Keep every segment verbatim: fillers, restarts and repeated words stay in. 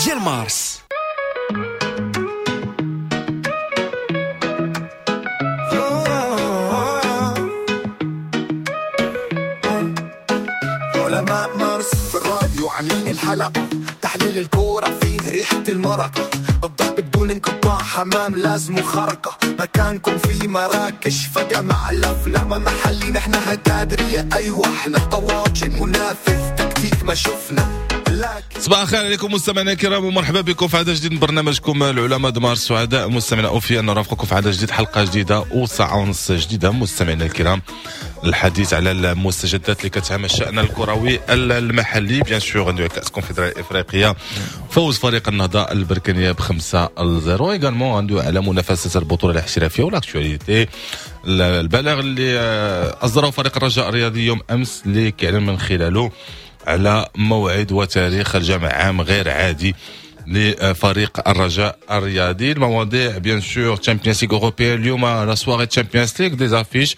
ديال مارس. علماء مارس في الراديو عاملين الحلقة، تحليل الكورة فيه ريحة المرق، الضحك بدون انقطاع، حمام لازم خرقة، مكانكم في مراكش فجأة مع الأفلام محلي، نحن هتادرية أيوة احنا طواجن منافذ تكتيك ما شفنا. صباح الخير عليكم مستمعينا الكرام ومرحبا بكم في عدد جديد من برنامجكم العلماء دمار. سعداء مستمعينا اوفياء نرافقكم في عدد جديد، حلقة جديدة وساعة ونص جديدة مستمعينا الكرام، الحديث على المستجدات اللي كتهم الشأن الكروي المحلي. bien sûr ندوي كأس الكونفدرالية الإفريقية، فوز فريق النهضة البركانية بخمسة لزيرو، également ندوي على منافسة البطولة الاحترافية و l'actualité، البلاغ اللي أصدره فريق الرجاء الرياضي يوم أمس اللي كيعلن من خلاله على موعد وتاريخ الجمع عام غير عادي لفريق الرجاء الرياضي. المواضيع bien sûr Champions League européenne اليوم، la soirée Champions League، des affiches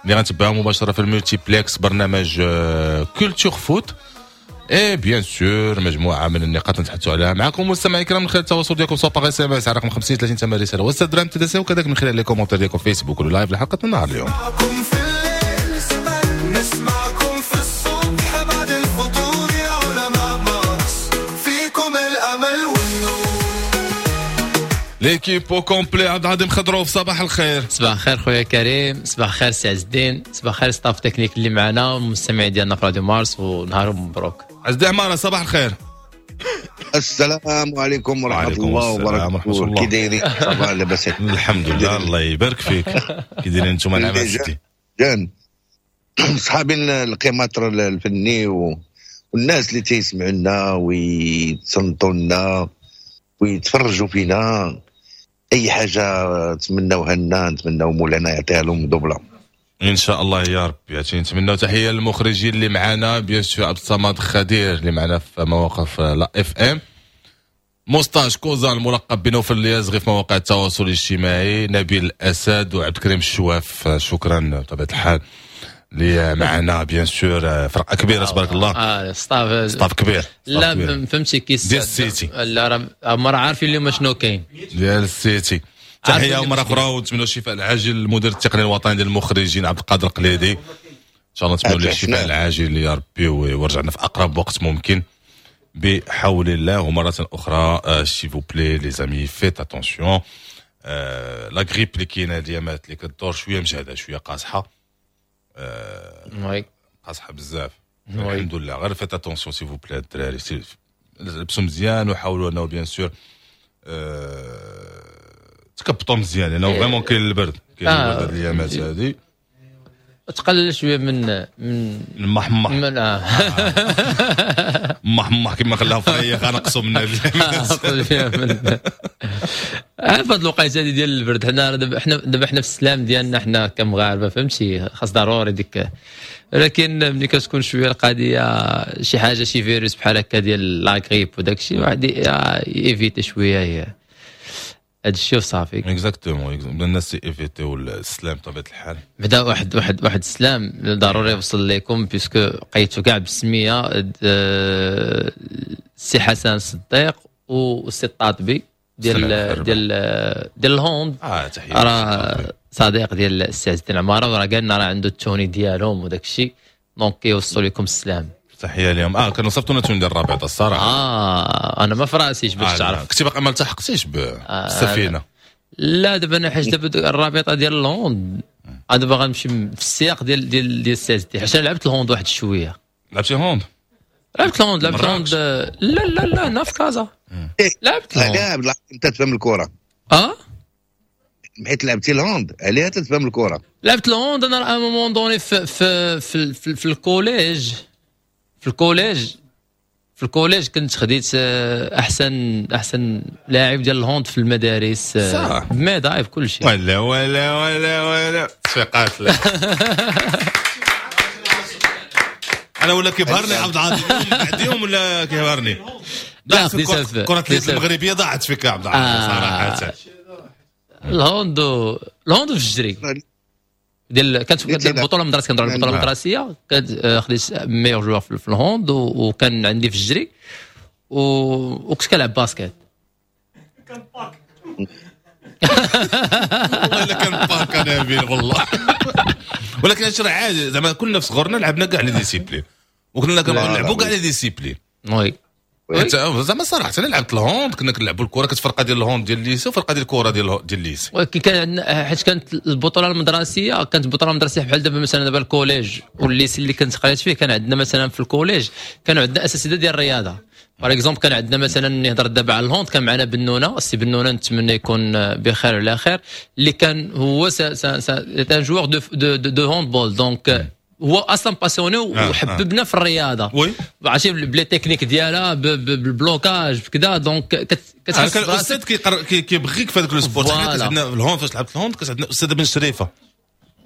اللي غنتبعها مباشرة في ال multiplex برنامج Culture Foot، et bien sûr مجموعة من النقاط نتحدثوا عليها معكم مستمعي الكرام من خلال التواصل ديالكم سواء par SMS على رقم خمسين ثلاثين ثمانية رسالة وستة درهم TTC، وكذلك من خلال les commentaires ديالكم فيسبوك و live لحلقة النهار اليوم. نسمعكم في الصبح بعد الفطور يا علماء مارس، فيكم الأمل والنور. l'équipe au complet، عبد العظيم خضروف صباح الخير. صباح الخير خويا كريم، صباح الخير سي عز الدين، صباح الخير staff technique اللي معنا والمستمعين ديالنا في راديو مارس، ونهارهم مبروك. عز الدين عمارة صباح الخير. السلام عليكم ورحمة الله وبركاته. كي دايرين؟ صباح لاباس؟ الحمد لله الله يبارك فيك. كي دايرين انتم؟ نعم سيدي. جان صحابي القيماتر الفني والناس اللي تيسمعوا لنا ويتصنتوا لنا ويتفرجوا فينا، اي حاجة تمناوها لنا نتمناو مولانا يعطيها لهم double ان شاء الله يا ربي. يعني نتمناو تحية للمخرجين اللي معنا، bien sûr عبد الصمد خدير اللي معنا في مواقف la FM، موستاج كوزان الملقب بنوفل اليازغي في مواقع التواصل الاجتماعي، نبيل الاسد وعبد الكريم الشواف، شكرا بطبيعة الحال اللي معنا bien sûr فرقه كبيرة تبارك الله. اه staff staff كبير. لا فهمتي كيس ديال السيتي، لا راه عارفين اليوم شنو كاين ديال السيتي. تحية مرة اخرى ونتمنوا الشفاء العاجل للمدير التقني الوطني ديال المخرجين عبد القادر القليدي، ان شاء الله نتمنوا له الشفاء العاجل يا ربي ويرجعنا في اقرب وقت ممكن بحول الله. ومرة اخرى s'il vous plaît les amis faites attention، la grippe اللي كاينه اليامات اللي كدور شوية مجهده شوية قاصحة، oui قاصحة بزاف الحمد لله. غير faites attention s'il vous plaît الدراري، لبسوا مزيان وحاولوا انه bien sûr تكبطوا مزيان لانه vraiment كاين البرد، كاين البرد هاد الايامات هادي. تقلل شوية من من المحمح من آه. محمح كما خلاها فريق نقصوا من من عارف هاد الوقيته هادي ديال البرد. حنا دابا حنا دابا حنا في السلام ديالنا حنا كمغاربه فهمتي، خاص ضروري ديك، ولكن ملي كتكون شوية القضية شي حاجة شي فيروس بحال هكا ديال la grippe وداك الشيء، واحد éviter شوية هاد الشيء وصافي. exactement الناس éviter السلام بطبيعة الحال. بدا واحد واحد واحد السلام ضروري يوصل لكم puisque قيتو كاع بالسميه السي حسن الصديق والسي الطاطبي ديال ديال ديال ال hand. اه تحية راه صديق ديال السي عز الدين عمارة، وراه قالنا راه عنده ال tenue ديالهم وداك الشيء، donc كيوصلوا لكم السلام. تحية لهم. اه كانوا صيفطونا tenue ديال الرابطة الصراحة. اه انا ما في راسيش باش آه تعرف. كنتي باقي ما التحقتيش بالسفينة؟ آه لا دابا انا حيت دابا الرابطة ديال ال hand انا دابا غنمشي في السياق ديال ديال ديال السي عز الدين، حيت انا لعبت ال hand واحد شوية. لعبتي hand؟ لعبت ال hand لعبت ال hand لا لا لا هنا في كازا لعبت ال hand. لا انت تفهم الكره. اه حيت لعبتي ال hand عليها تتفهم الكره. لعبت ال hand انا à un moment donné في في في, في, في ال collège في ال collège في ال collège كنت خديت احسن احسن لاعب ديال ال hand في المدارس. صح ب médaille بكل شيء. ولا ولا ولا ولا تصفيقات. لا انا ولا كيبهرني عبد العاطي بعد يوم ولا كيبهرني. لا خديتها كرة اليد المغربية ضاعت فيك عبد العاطي صراحة. ال hand ال hand في الجري ديال كانت البطولة المدرسية، كنهضر على البطولة المدرسية، كانت خديت meilleur joueur في ال hand وكان عندي في الجري. و... وكنت كنلعب basket. كان باك والله الا كان باك انا بين والله. ولكن هادشي راه عادي، زعما كنا في صغرنا لعبنا كاع les disciplines وكنا كنلعبوا كاع les disciplines. oui زعما صراحة انا لعبت ال hand، كنا كنلعبوا الكره، كانت فرقه ديال ال hand ديال ال lycée وفرقه ديال الكره ديال ديال ال lycée. ولكن كان عندنا حيت كانت البطولة المدرسيه، كانت البطولة المدرسية بحال دابا مثلا دابا ال collège وال lycée اللي كنت قريت فيه، كان عندنا مثلا في ال collège كانوا عندنا اساتذة ديال الرياضة. par exemple كان عندنا مثلا، نهضر دابا على ال hand، كان معنا بنونه، السي بنونه، نتمنى يكون بخير وعلى خير، اللي كان هو c'est un joueur de de de handball، donc هو اصلا passionné وحببنا في الرياضه. oui عرفتي ب les techniques ديالها، بال blocage، بكذا، donc كتحس كان الاستاذ كيبغيك في هذاك ال sport. حنا كانت عندنا في ال hand، فاش لعبت ال hand كانت عندنا استاذه بن شريفه.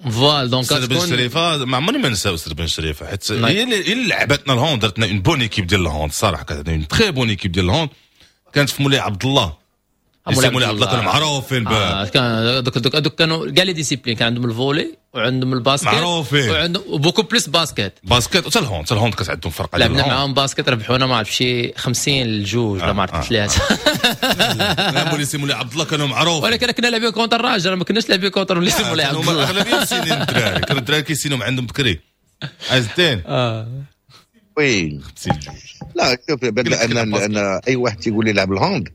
voilà donc استاذ بن شريفه، ما عمرني ما ننسى استاذ بن شريفه، حيت هي اللي لعبتنا ال hand، درتنا une bonne équipe ديال ال hand. الصراحة كانت عندنا une très bonne équipe ديال ال hand، كانت في مولاي عبد الله. مولاي عبد الله كانوا معروفين. آه كان دوك دوك دوك كانوا كاع les disciplines، كان عندهم ال volley وعندهم ال basket. معروفين. وعندهم beaucoup plus basket. basket وحتى ال hand، حتى ال hand كانت عندهم فرقه. لعبنا معاهم basket، ربحونا ما عرفت شي خمسين لجوج ولا ما عرفت ثلاثه. لا، مولاي مولاي عبد الله كانوا معروفين. ولكن كنا لاعبين contre الرجاء، ما كناش لاعبين contre مولاي عبد الله. اغلبية مسينين الدراري، كانوا الدراري كيسينوا عندهم بكري عز الدين. اه oui. خمسين جوج. لا شوف، انا انا اي واحد تيقول لي لعب ال hand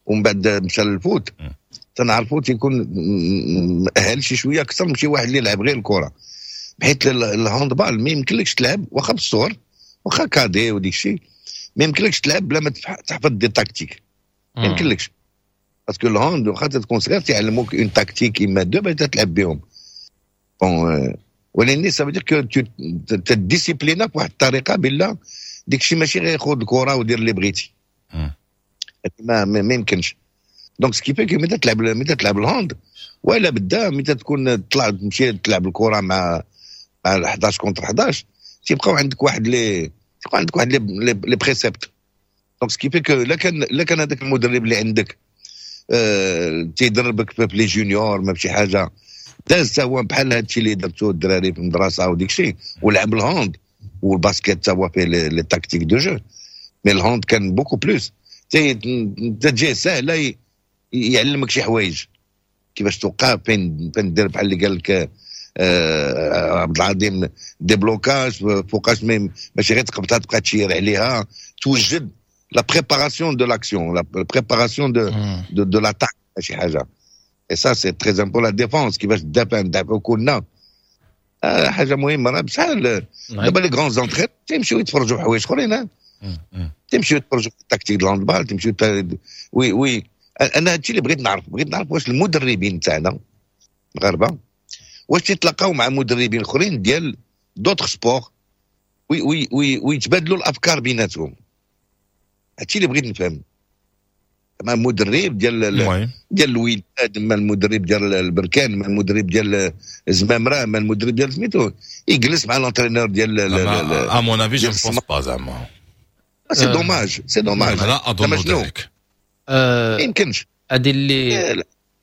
ومن بعد مشى لل foot، تنعرفو تيكون مأهل شي شوية اكثر من شي واحد اللي يلعب غير الكره، بحيث ال handball ما يمكنلكش تلعب، واخا بالصغر، واخا cadet وديك الشيء، ما يمكنلكش تلعب بلا ما تحفظ des tactiques. ما يمكنلكش، parce que ال hand واخا تكون صغير تيعلموك une tactique اما deux باش تلعب بهم. bon ولكن ça veut dire que تديسيبلينا بواحد الطريقة بلا ديك الشيء، ماشي غير خذ الكره ودير اللي بغيتي، ما ما يمكنش. donc ce qui fait que متى تلعب متى تلعب ال hand ولا بدا متى تكون تطلع تمشي تلعب الكره مع مع حداش contre حداش، تيبقاو عندك واحد les تيبقاو عندك واحد les les préceptes. donc ce qui fait que لا كان لا كان هذاك المدرب اللي عندك آه تيدربك في les juniors ما بشي حاجة داز هو بحال هادشي اللي درتو الدراري في المدرسة وديك الشيء، ولعب ال hand وال basket تا هو فيه les tactiques de jeu، mais ال hand كان beaucoup plus تجي ساهله، يعلمك شي حوايج كيفاش توقف، فين فين دير، بحال اللي قال لك آه عبد العظيم، déblocage فوقاش، ماشي غير تقبطها تبقى تشير عليها، توجد la préparation de l'action، la préparation de de, de l'attaque شي حاجه. et ça c'est très important، la défense، كيفاش تدافع، ندافعوا كلنا. آه حاجة مهمه. راه بشحال دابا les grands entraîneurs تيمشيو يتفرجوا حوايج اخرين، تيمشيو يتفرجوا في التكتيك ديال ال handball، تيمشيو. oui oui انا هادشي اللي بغيت نعرف، بغيت نعرف واش المدربين تاعنا المغاربة واش تيتلاقاو مع مدربين اخرين ديال d'autres sports وي وي وي ويتبادلوا الافكار بيناتهم. هادشي اللي بغيت نفهم. مع مدرب ديال ديال الوداد، مع المدرب ديال البركان، مع المدرب ديال الزمامره، مع المدرب ديال سميتو، يجلس مع l'entraîneur ديال à mon avis je pense pas زعما. c'est dommage، c'est dommage. لا اظن ذلك. ما يمكنش. هذه اللي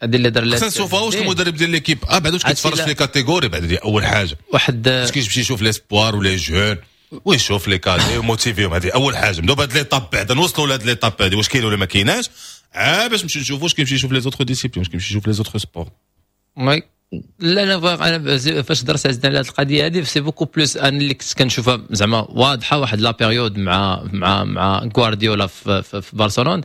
هذه اللي دار. خصنا نشوفها واش المدرب ديال l'équipe A بعد واش كيتفرج في les catégories بعد، دي اول حاجه. واحد واش كيمشي يشوف les espoirs و les jeunes ويشوف les cadets وموتيفيهم؟ هذه اول حاجه. نبداو بهاد l'étape بعدا، نوصلوا لهاد l'étape هذه، واش كاين ولا ما كايناش، عا باش نمشي نشوفوا واش كيمشي يشوف les autres disciplines، واش كيمشي يشوف les autres sports. oui، لا لا، انا فاش درت عزنا على هذه القضية هذه، c'est beaucoup plus انا اللي كنت كنشوفها زعما واضحه، واحد la période مع مع مع غوارديولا في, في, في برشلونه،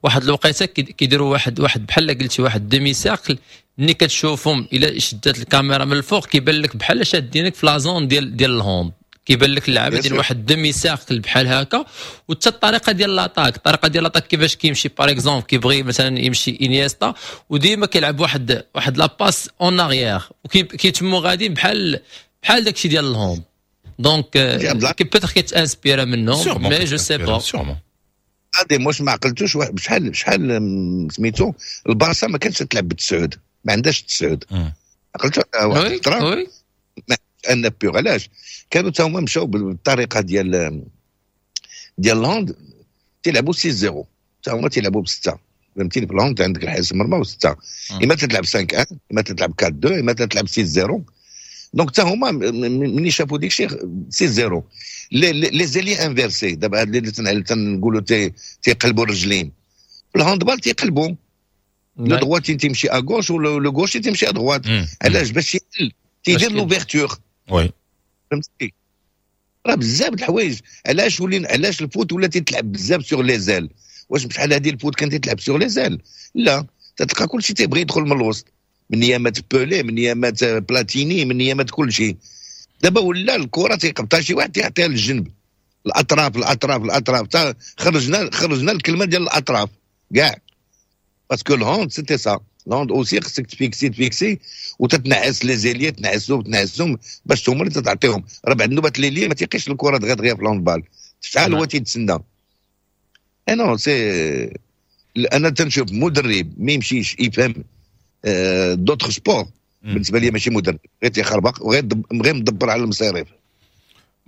واحد الوقيته كيديروا واحد واحد بحال قلتي واحد demi-cercle، ملي كتشوفهم الا شدات الكاميرا من الفوق كيبان لك بحال شادينك في la zone ديال ديال ال hand، كيبان لك اللعابه ديال واحد demi-cercle بحال هكا. وحتى الطريقة ديال l'attaque، الطريقة ديال l'attaque كيفاش كيمشي، par exemple كيبغي مثلا يمشي انيستا وديما كيلعب واحد واحد la passe en arrière وكيتمو غاديين بحال بحال داكشي ديال ال hand. donc peut-être كيتانسبيرا منهم، mais je sais pas. هادي واش ما عقلتوش شحال شحال سميتو البارسا ما كانتش تلعب بالتسعود، ما عندهاش التسعود، عقلتو واحد الفترة ان بيغ علاش كانوا تا هما مشاو بالطريقة ديال ديال ال hand، تيلعبوا ستة صفر، تا هما تيلعبوا بسته، فهمتيني؟ في ال hand عندك الحارس المرمى وسته، اما تلعب خمسة واحد، اما تلعب أربعة اثنين، اما تلعب ستة صفر. donc حتى هما ملي شافوا ديك الشيء six zéro. les ailiers inversés دابا هاد اللي تنقولوا تيقلبوا الرجلين في ال handball تيقلبوا le droitier تيمشي à gauche و le gaucher تيمشي à droite. علاش؟ باش تيدير l'ouverture. oui فهمتي؟ راه بزاف د الحوايج. علاش ولين علاش ال foot ولا تيتلعب بزاف sur les ailes؟ واش بشحال هذه ال foot كان تيتلعب sur les ailes؟ لا، تلقى كلشي تيبغي يدخل من الوسط، من يامات بولي، من يامات بلاتيني، من يامات كلشي. دابا ولا الكره تيقبطها شي واحد تيعطيها للجنب، الاطراف الاطراف الاطراف. خرجنا خرجنا الكلمة ديال الاطراف كاع، parce que ال hand c'était ça. ال hand aussi خصك تفيكسي تفيكسي وتتنعس les ailiers، تنعسهم تنعسهم باش هما اللي تعطيهم. راه بعد النوبات l'ailier ما تيقيش الكره دغيا دغيا في ال handball، شحال هو تيتسنى. انا c'est انا تنشوف مدرب ما يمشيش يفهم d'autres sports، بالنسبة لي ماشي مدرب، غير تيخربق وغير غير مدبر على المصاريف.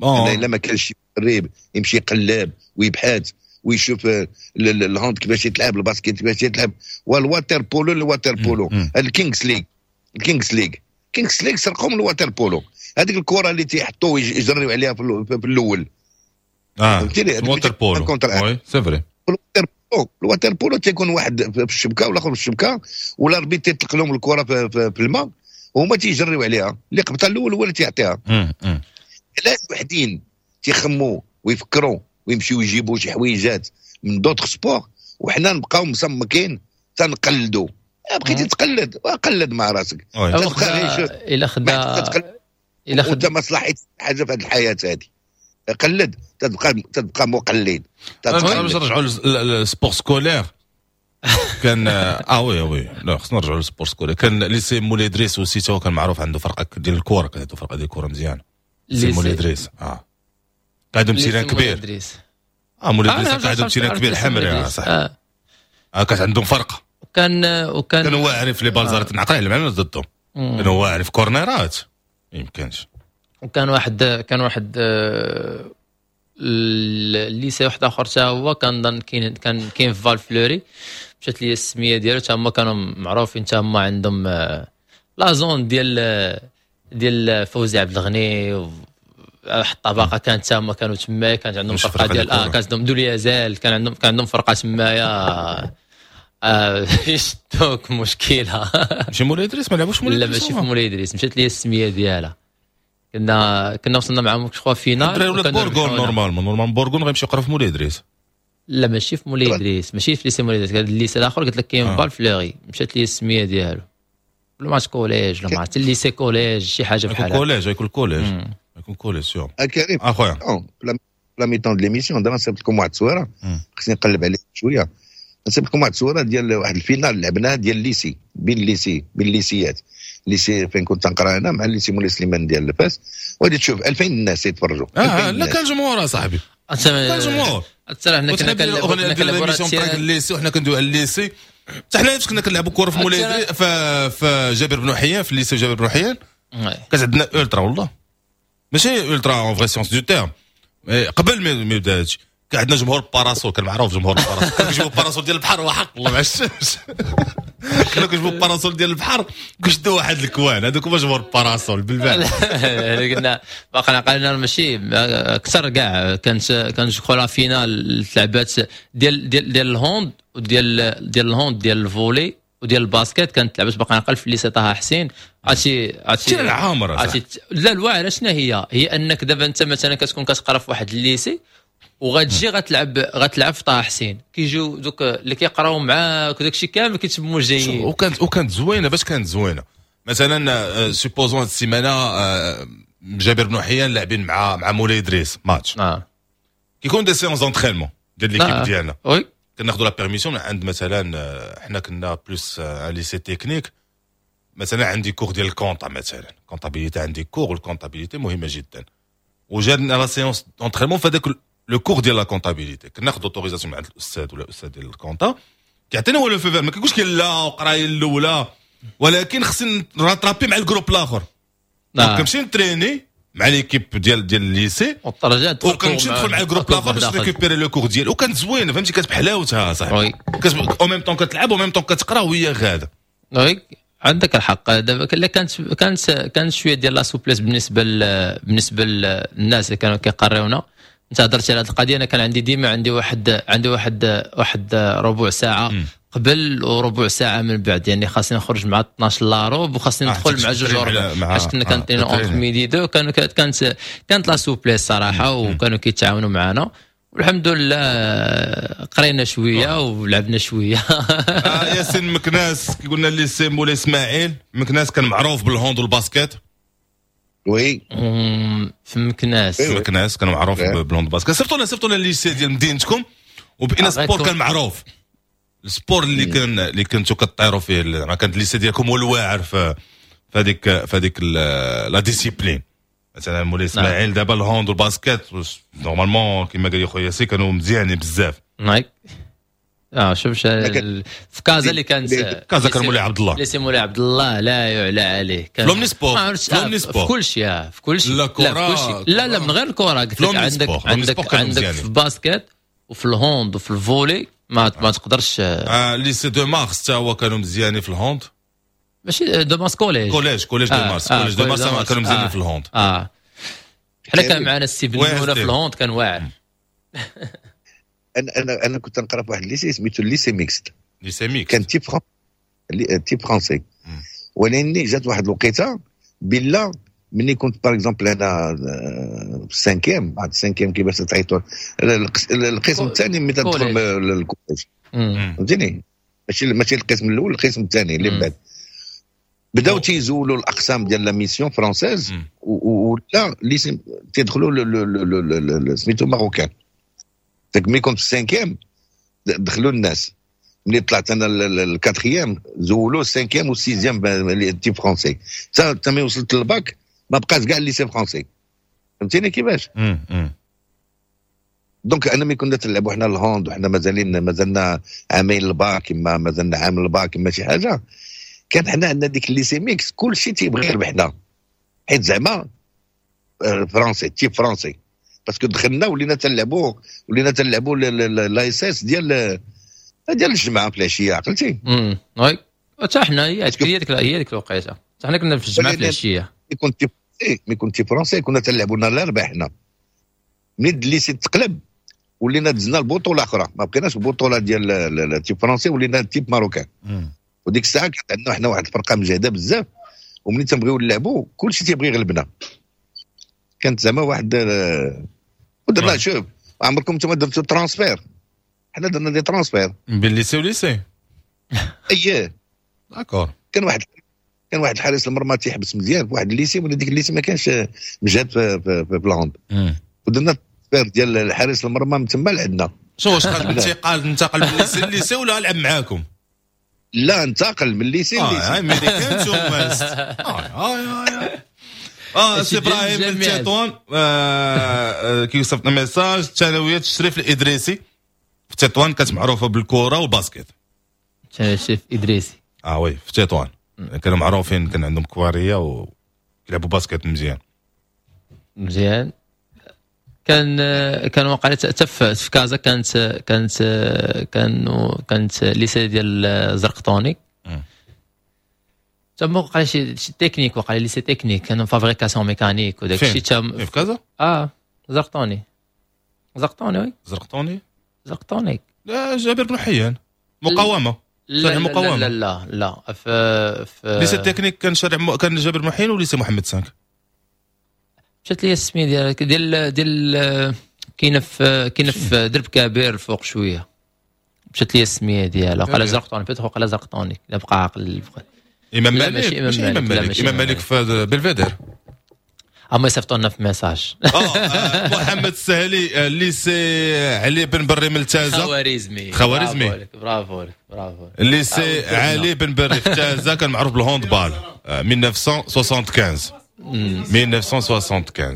انا الا ما كانش شي مدرب يمشي يقلب ويبحث ويشوف ال hand كيفاش يتلعب، ال basket كيفاش يتلعب، وال water-polo ال water-polo ال Kings League ال Kings League Kings League سرقوا من ال water-polo هذيك الكره اللي تيحطوا يجريو عليها في الاول. اه فهمتيني؟ ال water-polo oui c'est vrai. ال water-polo ال water-polo تيكون واحد في الشبكة والاخر في الشبكة، وال arbitre تيطلق لهم الكره في, في, في الماء وهما تيجريو عليها، اللي قبطها الاول هو اللي تيعطيها. علاش وحدين تيخموا ويفكروا ويمشيو يجيبوا شي حويجات من d'autres sports وحنا نبقاو مصمكين تنقلدوا؟ بقيتي تقلد وقلد مع راسك. الا خدا الا خدا ما صلاحيت حاجة في هذه الحياة هذه، قلد تبقى تبقى مقلد. باش نرجعوا لل sport scolaire كان اه oui oui لا خصنا نرجعوا لل sport scolaire. كان lycée مولاي ادريس aussi هو كان معروف عنده فرقه ديال الكره، كانت عنده فرقه ديال الكره مزيانه. lycée مولاي ادريس اه عندهم terrain كبير. اه مولاي ادريس كان عندهم terrain كبير حمري صح. اه كانت عندهم فرقه. وكان وكان كانوا واعرين في les balles نعقل على معنا ضدهم، كانوا واعرين في كورنيرات ما يمكنش. وكان واحد كان واحد ال lycée واحد اخر حتى هو كان كاين كان كاين في فالفلوري، مشات لي السمية ديالو، حتى هما كانوا معروفين، حتى هما عندهم la zone ديال ديال فوزي عبد الغني واحد الطبقة كانت حتى هما كانوا تما، كانت عندهم فرقه ديال اه كانت عندهم دوليازال، كان عندهم كان عندهم فرقه تمايا آه يشدوك مشكلة. ماشي مولاي ادريس؟ ما لعبوش مولاي ادريس؟ لا ماشي في مولاي ادريس، مشات لي السمية ديالها. كنا كنا وصلنا معاهم je finale. الدراري ولاد بورغون normalement normalement بورغون غيمشي يقرا في مولاي ادريس. لا ماشي في مولاي ادريس، ماشي في lycée مولاي ادريس، هذا ال lycée الاخر قلت لك كاين آه. فالفلوري مشات لي السمية ديالو، ولا ما collège ولا ما عرفت lycée collège شي حاجة بحال هكا. collège يكون collège يكون collège sûr. كريم اخويا la mi-temps de l'émission دابا نصيفط لكم واحد التصويره، خصني نقلب عليها شوية. نصيفط لكم واحد التصويره ديال واحد ال finale لعبناها ديال lycée بين lycée بين ليسيات، lycée فين كنت نقرا انا مع lycée مولاي سليمان ديال الفاس، وغادي تشوف ألفين الناس يتفرجوا. اه لا كان جمهور اصاحبي، كان جمهور. حتى حنا كنا كنلعبوا كنا l'émission تاع ال lycée وحنا كندويو على ال lycée، حتى حنا فاش كنا كنلعبوا كره في مولاي في جابر بن حيان، في ال lycée جابر بن حيان كانت عندنا ultra، والله ماشي ultra en vrai sens du terme، قبل ما يبدا هادشي كان عندنا جمهور parasol، كان معروف جمهور parasol، كانوا كيجيبوا parasol ديال البحر وحق الله مع الشمس، كانوا كيجيبوا parasol ديال البحر وكيشدوا واحد ال coin، هذوك هما جمهور parasol بالبال. قلنا باقي عقلنا ماشي اكثر كاع، كانت كان je la finale تلعبات ديال ديال ديال ال hand وديال ديال ال hand ديال ال volley وديال ال basket، كانت لعبت باقي نعقل في lycée طه حسين. عرفتي عرفتي العامره عرفتي لا الواعره شنو هي؟ هي انك دابا انت مثلا كتكون كتقرا في واحد ال lycée وغتجي غتلعب غتلعب في طه حسين، كيجيو دوك اللي كيقراو معاك وداك الشيء كامل كيتموا جايين. وكانت وكانت زوينة. باش كانت زوينة مثلا supposons هاد السيمانة جابر بن حيان لاعبين مع مع مولاي ادريس ماتش، اه كيكون des séances d'entraînement ديال l'équipe ديالنا، oui كناخذوا la permission من عند مثلا حنا كنا plus lycée technique، مثلا عندي cours ديال ال compta، مثلا comptabilité عندي cours، وال comptabilité مهمة جدا، وجاتنا la séance d'entraînement في هذاك le cours ديال la comptabilité، كناخذ autorisation من عند الاستاذ ولا الاستاذ ديال ال compta، كيعطينا هو le feu vert، ما كيقولش لا قرايه الاولى، ولكن خصني rattraper مع ال groupe الاخر. آه. كنمشي نتريني مع l'équipe ديال ديال ال lycée وترجع وكنمشي ندخل مع ال groupe الاخر باش récupérer le cours ديالي، وكانت زوينة فهمتي، كانت بحلاوتها صاحبي، oui en même temps كتلعب و même temps كتقرا وهي غاده. oui عندك الحق. دابا كانت كانت كانت شوية ديال la souplesse بالنسبة بالنسبة للناس اللي كانوا كيقريونا. انت هضرتي على هذه القضية، انا كان عندي ديما عندي واحد عندي واحد واحد ربع ساعة م. قبل وربع ساعة من بعد، يعني خاصني نخرج مع اثناش لا ربع وخاصني ندخل مع جوج وربع، حيت كنا كنترينو entre midi deux. كانوا كانت كانت la souplesse صراحة، وكانوا كيتعاونوا معنا والحمد لله قرينا شوية ولعبنا شوية. آه ياسين مكناس كيقولنا lycée مولاي اسماعيل مكناس كان معروف بال hand وال basket. oui في مكناس، في مكناس كان معروف بال hand basket. صيفطوا لنا صيفطوا لنا lycée ديال مدينتكم وباينا sport كان معروف، ال sport اللي كان اللي كنتو كطيروا فيه، ما كانت ال lycée ديالكم هو الواعر في في هذيك في هذيك la discipline. مثلا مولاي اسماعيل دابا ال hand وال basket normalement كما قال لي خويا ياسين كانوا مزيانين بزاف. نايك اه شوف في كازا اللي كانت كازا كان مولاي عبد الله، lycée مولاي عبد الله لا يعلى عليه، كان l'omnisports l'omnisports في كل شيء، في كل شيء، لا كره، لا لا من غير الكره قلت لك عندك عندك عندك في ال basket وفي ال hand وفي ال volley ما ما تقدرش. آه lycée deux mars حتى هو كانوا مزيانين في ال hand، ماشي deux mars collège collège collège deux mars collège deux mars كانوا مزيانين في ال hand. اه حنا كان معنا السي بن في ال hand كان واعر. انا انا انا كنت نقرا في واحد ال lycée سميتو lycée mixte، lycée mixte كان type fran type français، ولكن جات واحد الوقيته بلا ملي كنت par exemple انا في ال cinquième، بعد ال cinquième كيفاش تعيطوا القسم الثاني ملي تدخل لل collège، فهمتيني؟ ماشي ماشي القسم الاول، القسم الثاني اللي من بعد بداو تيزولوا الاقسام ديال la mission française ولا lycée تيدخلوا سميتو marocain. داك ملي كنت في ال cinquième دخلوا الناس، ملي طلعت انا ال quatrième زولوا ال cinquième وال sixième type français، حتى ملي وصلت للباك ما بقاش كاع lycée français، فهمتيني كيفاش؟ donc انا ملي كنا تلعبوا حنا ال hand وحنا مازالين مازلنا عامين الباك، اما مازلنا عام الباك اما شي حاجة، كان حنا عندنا ديك ال lycée mixte كلشي تيبغي يربحنا، حيت زعما français type français، parce que دخلنا ولينا تنلعبوا ولينا تنلعبوا l'ASS ديال ديال الجمعة في العشية، عقلتي؟ امم oui حتى حنا هي هي ديك هي ديك الوقيته حتى حنا كنا في الجمعة في العشية. كنت ملي كنت français كنا تنلعبوا نهار الاربعاء حنا، ملي ال lycée تقلب ولينا دزنا البطولة اخرى، ما بقيناش البطولة ديال type français ولينا type marocain. وديك الساعة كانت عندنا حنا واحد الفرقة مجهده بزاف، وملي تنبغيو نلعبوا كلشي تيبغي يغلبنا. كانت زعما واحد ودرنا شوف عمركم نتوما درتو transfert، حنا درنا des transferts بين lycée و lycée. اييه d'accord. كان واحد كان واحد الحارس المرمى تيحبس مزيان في واحد ال lycée، ولا ديك ال lycée ما كانش مجهد في, في, في ال hand، ودرنا transfert ديال الحارس المرمى من تما لعندنا. شو واش انتقال انتقل من lycée ل lycée ولا لعب معاكم؟ لا انتقل من lycée ل lycée. اه امريكان اه اه اه اه سي ابراهيم من تطوان كيوصف لنا message، ثانوية الشريف الادريسي في تطوان كانت معروفة بالكرة وال basket. الشريف الادريسي اه oui في تطوان كانوا معروفين، كان عندهم كواريه وكيلعبوا basket مزيان مزيان. كان كان وقع حتى في كازا كانت كانت كانوا كانت lycée ديال زرقطوني تما وقع شي شي تكنيك، وقع lycée technique كانوا fabrication mécanique وداك الشيء تم في كازا. اه زرقطوني زرقطوني oui زرقطوني زرقطوني لا جابر بن حيان مقاومة. لا لا لا لا لا في في lycée technique كان شارع كان جابر بن حيان و lycée محمد cinq. مشات لي السمية ديال ديال ديال كاينه في كاينه في درب كبير فوق شوية، مشات لي السمية ديالها وقال زرقطوني peut-être وقال زرقطوني لا بقى عاقل. امام مالك ماشي امام مالك، امام مالك في بلفيدير. اما يصيفطوا لنا في message. اه محمد السهلي lycée علي بن بري من تازا. خوارزمي خوارزمي برافو لك برافو. lycée علي بن بري في تازا كان معروف بال handball ألف وتسعمية خمسة وخمسين ألف وتسعمية خمسة وستين.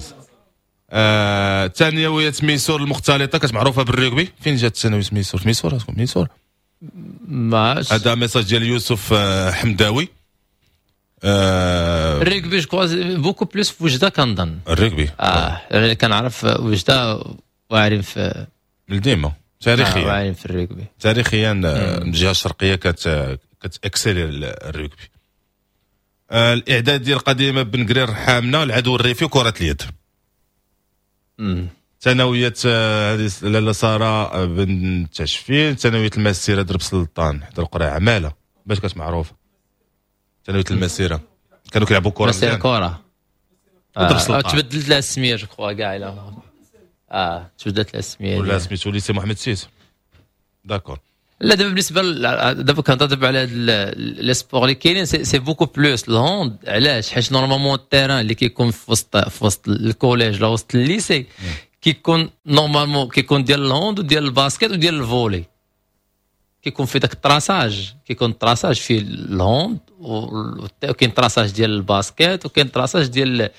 آه، ثانوية ميسور المختلطة كانت معروفة بالرugby. فين جات ثانوية ميسور؟ ميسور ميسور ما هذا message ديال يوسف حمداوي. آه ال rugby je crois beaucoup plus في وجده كنظن ال rugby اه يعني كنعرف وجده واعرين في من ديما تاريخيا آه واعرين في الرugby تاريخيا الجهة الشرقية كت كت exceller ال rugby. آه الاعدادية القديمة بن قرير حامنا العدو الريفي وكره اليد. ثانوية هذه لاله ساره بن تشفين، ثانوية المسيرة درب سلطان حدا القرية عماله باش كانت معروفة. ثانوية المسيرة كانوا كيلعبوا كره مسيره كره آه. تبدلت لها السمية je crois كاع الا اه تبدلت لها السمية ولا سميتو lycée محمد six d'accord. لا دابا بالنسبة دابا كنهضر دابا على les sports اللي كاينين c'est beaucoup plus ال hand. علاش؟ حيت normalement ال terrain اللي كيكون في وسط في وسط ال collège ولا وسط ال lycée كيكون normalement كيكون ديال ال hand وديال ال basket وديال ال volley، كيكون في داك ال traçage، كيكون ال traçage فيه ال hand وكاين traçage ديال ال basket وكاين traçage ديال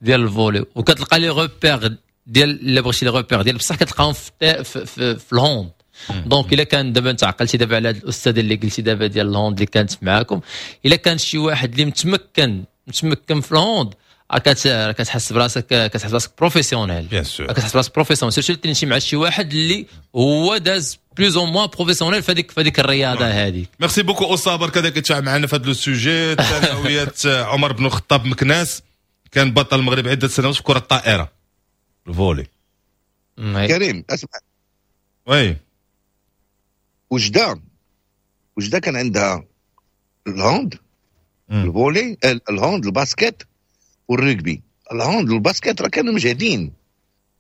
ديال ال volley، وكتلقى les repères ديال الا بغيتي les repères ديال بصح كتلقاهم في في, في, في ال hand. donc الا كان دابا انت عقلتي دابا على هاد الاستاذ اللي قلتي دابا ديال ال hand اللي كانت معاكم، الا كان شي واحد اللي متمكن متمكن في ال hand كتحس براسك كتحس براسك professionnel، كتحس براسك professionnel surtout تمشي مع شي واحد اللي هو داز plus ou moins professionnel في هذيك في هذيك الرياضة هذيك. merci beaucoup أصابر كذا كتفاعل معنا في هذا le sujet. ثانوية عمر بن الخطاب مكناس كان بطل المغرب عده سنوات في كره الطائرة ال volley. كريم اسمع oui وجده وجده كان عندها ال hand ال volley ال hand ال basket وال rugby. ال hand وال basket راه كانوا مجهدين،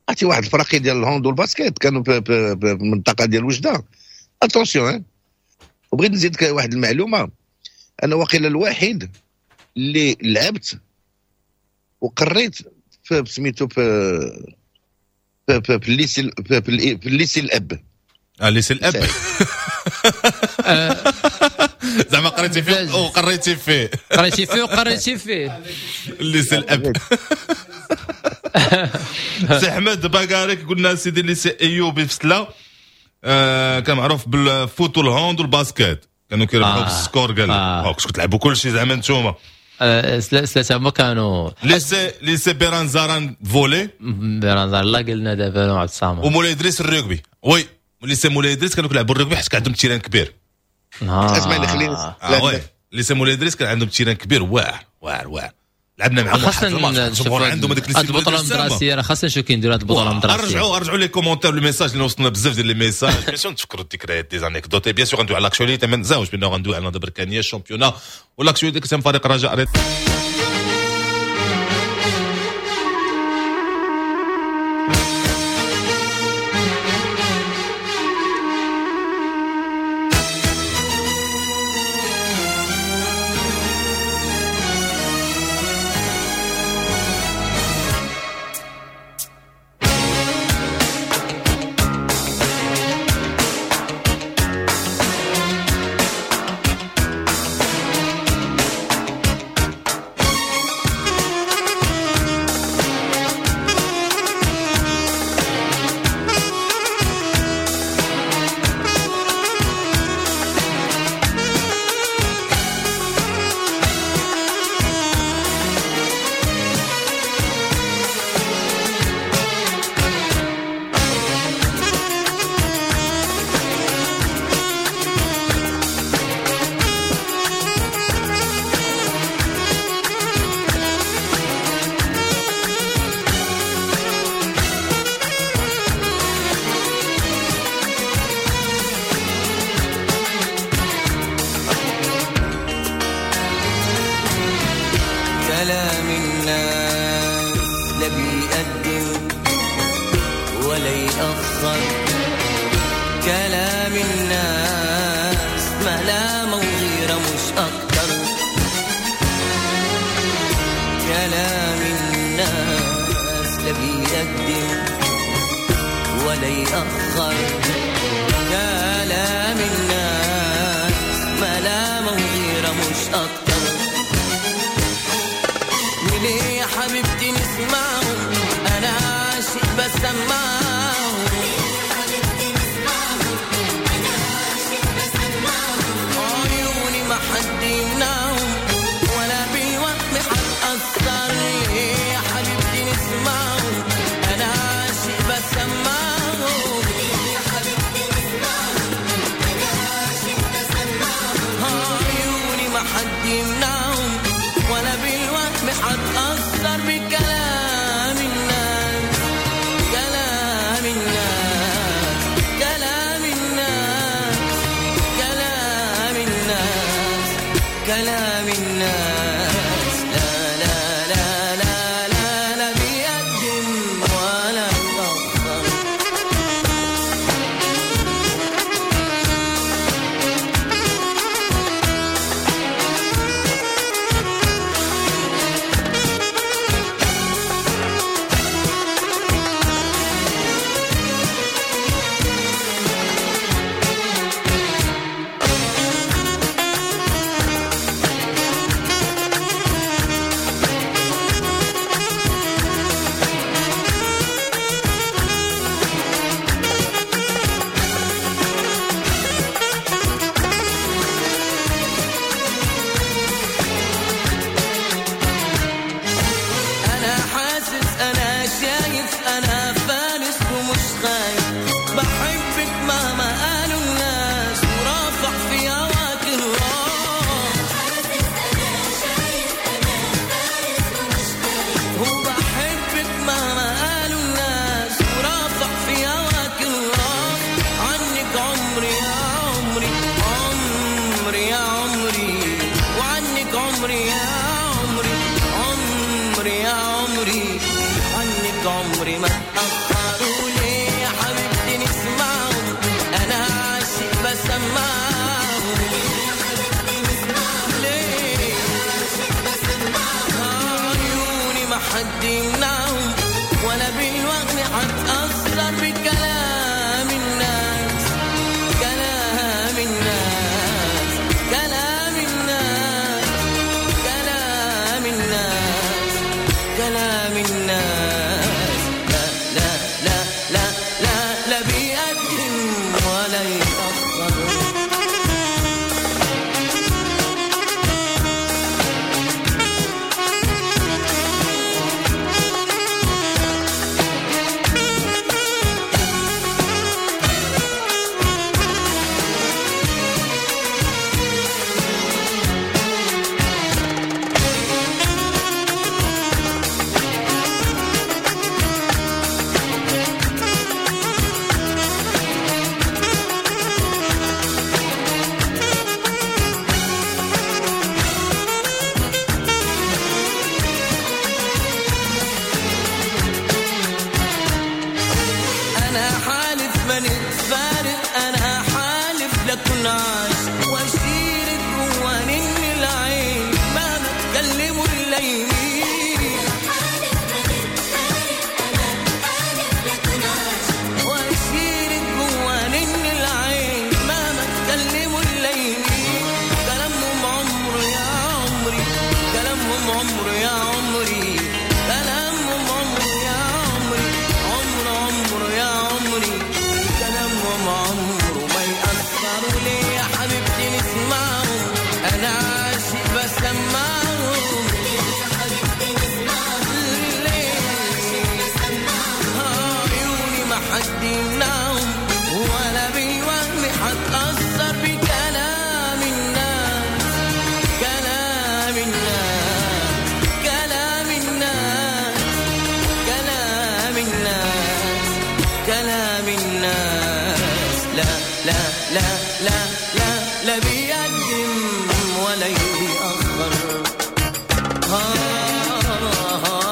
عرفتي واحد الفراقي ديال ال hand وال basket كانوا في المنطقة ديال وجده. attention. وبغيت نزيدك واحد المعلومة، انا واقيلا الوحيد اللي لعبت وقريت في سميتو في في في ال lycée في ال lycée الاب. اه lycée الاب زعما قريتي فيه وقريتي فيه قريتي فيه وقريتي فيه lycée الاب. سي احمد باكاريك قلنا سيدي lycée ايوبي في سلا آه كان معروف بال foot وال hand وال basket، كانوا كيربحوا بال score. قال لك كنتوا تلعبوا كلشي زعما نتوما. سلا سلا هما كانوا lycée lycée بيرانزاران volley بيرانزار لا قلنا دابا عبد الصمد ومولاي ادريس ال rugby. oui lycée مولاي ادريس كانوا كيلعبوا الرugby حيت كان عندهم terrain كبير. اسمعني خليني آه oui lycée مولاي ادريس كان عندهم terrain كبير واعر واعر واعر، لعبنا معاهم خاصنا الجمهور عندهم هذيك البطولة المدرسية، راه خاصنا نشوف كينديروا هذه البطولة المدرسية. رجعوا رجعوا les commentaires les messages اللي وصلنا بزاف ديال les messages. bien sûr نتفكروا الذكريات des anecdotes، bien sûr غندوي على l'actualité ما نساوش بانه غندوي على بركانيه ال championnat و l'actualité كتم فريق رجاء. حد يمنعهم. كلام الناس. لا لا لا لا لا لا بيقدم ولا يأخر. أنا حاسس أنا شايف أنا فارس ومش خايف، بحبك مهما قالوا الناس ورافع في هواك الراس. وبحبك مهما قالوا الناس ورافع في هواك الراس. عنك عمري يا عمري عمري يا عمري، وعنك عمري يا عمري عمري يا عمري، عنك عمري ما تأخروا. ليه يا حبيبتي نسمعهم، أنا عاشق بسمعهم. ليه عيوني ما حد يمنعهم، ولا بالوهم حتأثر بكلام الناس. كلام الناس كلام الناس كلام الناس كلام الناس. لا لا لا لا لا لا بيقدم ولا يأخر. أنا حالف ما نتفارق، أنا حالف لكن عايش وأشيلك جوانين العين مهما تكلموا الليل. وأشيلك جوانين العين مهما تكلموا الليل. كلامهم عمر يا عمري، كلامهم عمر يا عمري، كلامهم عمر يا عمري، عمر عمر يا عمري، كلامهم عمره ما يأثروا. ليه يا حبيبتي نسمعهم، أنا عاشق بسمعهم. ليه عيوني ما حد يمنعهم، ولا بالوهم حتأثر بكلام الناس. كلام الناس كلام الناس كلام الناس كلام الناس. لا لا لا لا لا لا بيقدم ولا يأخر. آه آه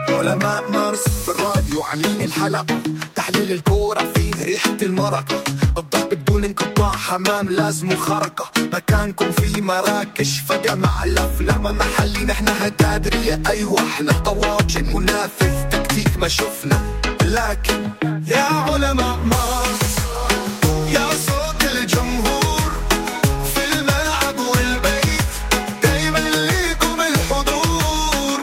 علماء مارس في الراديو عاملين الحلقة، تحليل الكورة فيه ريحة المرقة، الضرب بدون انقطاع حمام لازم خرقة، مكانكم في مراكش فجمع الأفلام محلي، نحن هتادرية أيوة احنا طواجن منافذ تكتيك ما شفنا، لكن يا علماء مارس يا صوت الجمهور في الملعب والبيت دايما ليكم الحضور.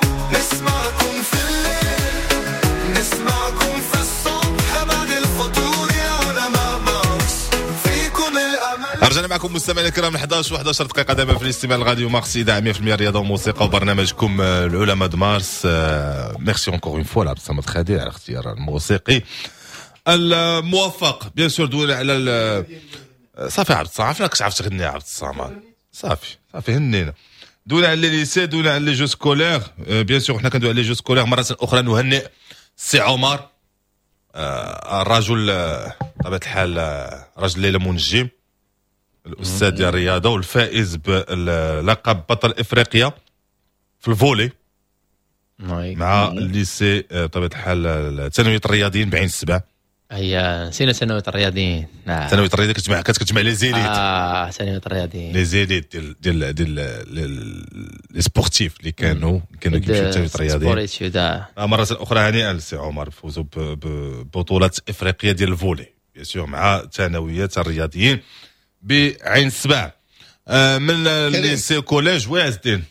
معكم مستمعينا الكرام احداش وحداش دقيقة دابا في الاستماع الراديو مارس، اذاعة مية في المية رياضة وموسيقى، وبرنامجكم العلماء د مارس. merci encore une fois عبد الصمد خدير على الاختيار الموسيقي الموفق. bien sûr دوينا على، صافي عبد الصمد، عرفناك عرفت تغني عبد الصمد، صافي صافي هنينا. دوينا على les lycées، دوينا على les jeux scolaires. bien sûr حنا كندوي على les jeux scolaires، مرة اخرى نهنئ سي عمر، الرجل بطبيعة الحال رجل ليلى منجم، الاستاذ ديال الرياضة والفائز بلقب بطل افريقيا في ال volley مع ال lycée بطبيعة الحال ثانوية الرياضيين بعين السبع. هي نسينا ثانوية الرياضيين. نعم، ثانوية الرياضيين كتجمع كتجمع les élites. اه، ثانوية الرياضيين. les élites ديال ديال ديال les sportifs اللي كانوا كانوا كيمشيو ثانوية الرياضيين. sport. مرة اخرى هنيئا لسي عمر فوزوا ببطولة افريقيا ديال ال volley bien sûr مع ثانوية الرياضيين بعين السبع. آه، من lycée collège، oui عز الدين.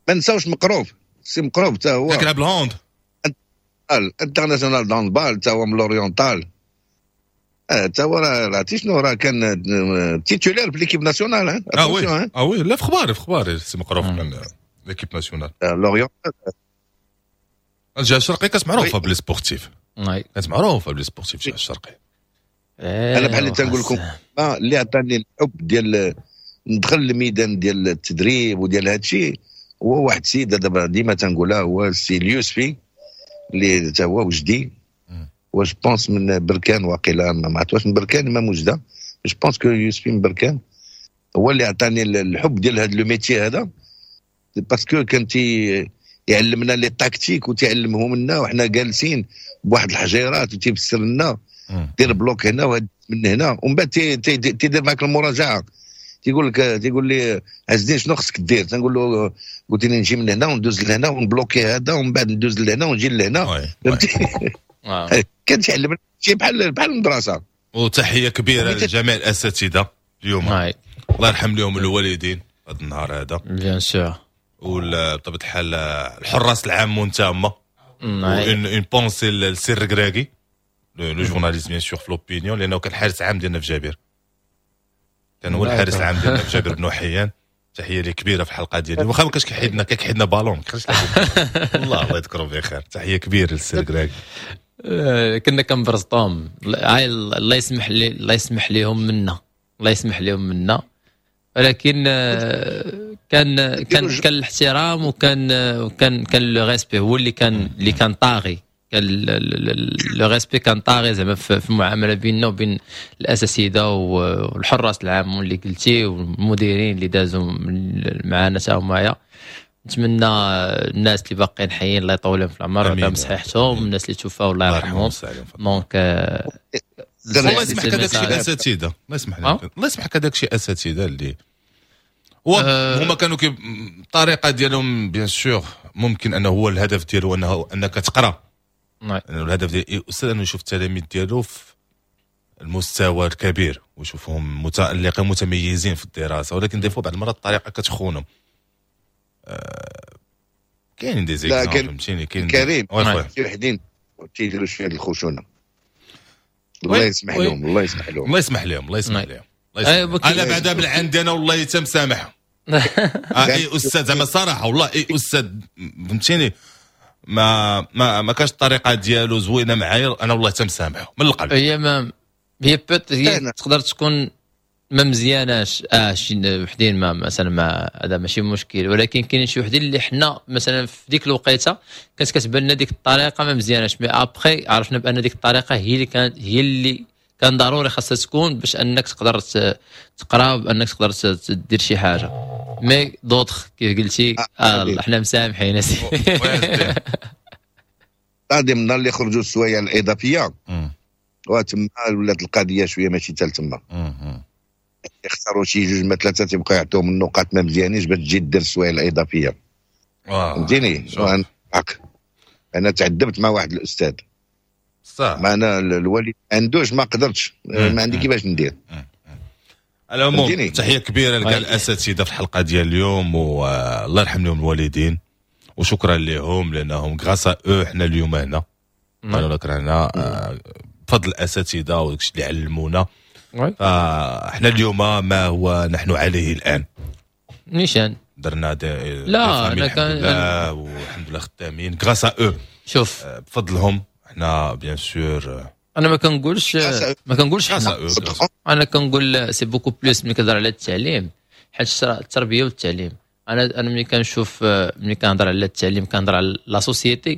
ما نساوش مقروف، سي مقروف حتى هو. كيلعب ال hand. international d'handball، حتى هو من l'oriental، حتى هو راه عرفتي شنو، راه كان titulaire في l'équipe nationale. اه oui اه oui، لا في خباري في خباري سي مقروف كان l'équipe nationale. l'oriental. الجهة الشرقية كانت معروفة ب les sportifs، كانت معروفة ب les sportifs الجهة الشرقيه. انا بحال اللي تنقول لكم، اللي عطاني الحب ديال ندخل الميدان ديال التدريب وديال هذا الشيء هو واحد السيد، دابا ديما تنقولها، هو السي اليوسفي اللي تا هو وجدي و je pense من بركان واقيلا، ما عرفت واش من بركان ما وجده، je pense que يوسفي من بركان. هو اللي عطاني الحب ديال هذا le métier هذا، parce que كان تي يعلمنا les tactiques وتعلمهم لنا وحنا جالسين بواحد الحجيرات، وتيفسر لنا دير bloc هنا وهاد من هنا، ومن بعد تيدير معك المراجعه، تيقول لك، تيقول لي: عز الدين، شنو خصك دير؟ تنقول له: قلت لي نجي من هنا وندوز لهنا ونبلوكي هذا ومن بعد ندوز لهنا ونجي لهنا، فهمتي؟ كان تيعلمنا شي بحال بحال المدرسه. وتحية كبيرة لجميع الاساتذة اليوم، الله يرحم لهم الوالدين هذا النهار هذا. bien sûr. وبطبيعة الحال الحراس العام تما، une pensée للسي الركراكي، le journaliste bien sûr في l'opinion، لانه كان حارس عام ديالنا في جابر، كان هو الحارس العام ديالنا في جابر بن حيان. تحية لي كبيرة في الحلقة ديالي، واخا ما كانش كيحيدنا، كيحيدنا بالون. الله الله يذكره بخير، تحية كبيرة للسي الركراكي. آه، كنا كنبرزطوهم. الله يسمح لي، الله يسمح لهم منا، الله يسمح لهم منا، ولكن آه، كان كان كان الاحترام وكان وكان كان le respect هو اللي كان اللي كان طاغي، كان le respect كان طاغي زعما في المعاملة بيننا وبين الاساتذة والحراس العام اللي قلتي والمديرين اللي دازوا معنا تا همايا. نتمنى الناس اللي باقيين حيين الله يطول في العمر ويعطيهم صحيحتهم، الناس اللي توفاو الله يرحمهم. donc الله يسمح لك هذاك شي اساتذه، الله يسمح لك، الله يسمح لك هذاك شي اساتذة اللي هو هما كانوا كي الطريقة ديالهم، bien sûr ممكن انه هو الهدف ديالو انه انك تقرا. الهدف ديال الاستاذ انه يشوف التلاميذ ديالو في المستوى الكبير ويشوفهم متالقين متميزين في الدراسه، ولكن des fois بعض المرات الطريقة كتخونهم. آه كاينين des exemples، فهمتيني؟ كاين كريم شي وحدين تيديروا شوية الخشونه، الله يسمح لهم، الله يسمح لهم. الله يسمح لهم، الله يسمح لهم، الله يسمح. انا بعدا من عندي انا والله تمسامح. آه اي استاذ زعما صراحة والله، اي استاذ فهمتيني ما ما ما كانش الطريقة ديالو زوينة معايا، انا والله تمسامحه من القلب. هي ما هي peut-être هي تقدر تكون ما مزياناش، اه شي وحدين ما مثلا ما هذا ماشي مشكل، ولكن كاين شي وحدين اللي حنا مثلا في ديك الوقيته كانت كتبان لنا ديك الطريقة ما مزياناش، mais après عرفنا بان ديك الطريقة هي اللي كانت هي اللي كان ضروري خاصها تكون باش انك تقدر تقرا، بانك تقدر تدير شي حاجه. mais d'autres كيف قلتي آه, آه حنا مسامحين. غادي من النهار اللي خرجوا السوايع الاضافية وتما ولات القضية شوية ماشي حتى تما. يختاروا شي جوج ما ثلاثة تيبقاو يعطيهم النقاط ما مزيانينش باش تجي دير السوايع الاضافيه، فهمتيني؟ انا تعذبت مع واحد الاستاذ. صح. ما انا الوالد عندوش، ما قدرتش، ما عندي كيفاش ندير. على العموم تحية كبيرة لكاع الاساتذة في الحلقة ديال اليوم، والله يرحم لهم الوالدين وشكرا لهم، لانهم grâce à eux حنا اليوم هنا. انا كرهنا بفضل الاساتذة وداكشي اللي علمونا. فاحنا اليوم ما هو نحن عليه الان. نيشان درنا des لا انا كان والحمد لله خدامين grâce à eux. شوف بفضلهم احنا bien sûr. انا ما كنقولش ما كنقولش حنا، انا كنقول c'est beaucoup plus ملي كنهضر على التعليم، حيت التربية والتعليم. انا انا ملي كنشوف، ملي كنهضر على التعليم كنهضر على la société،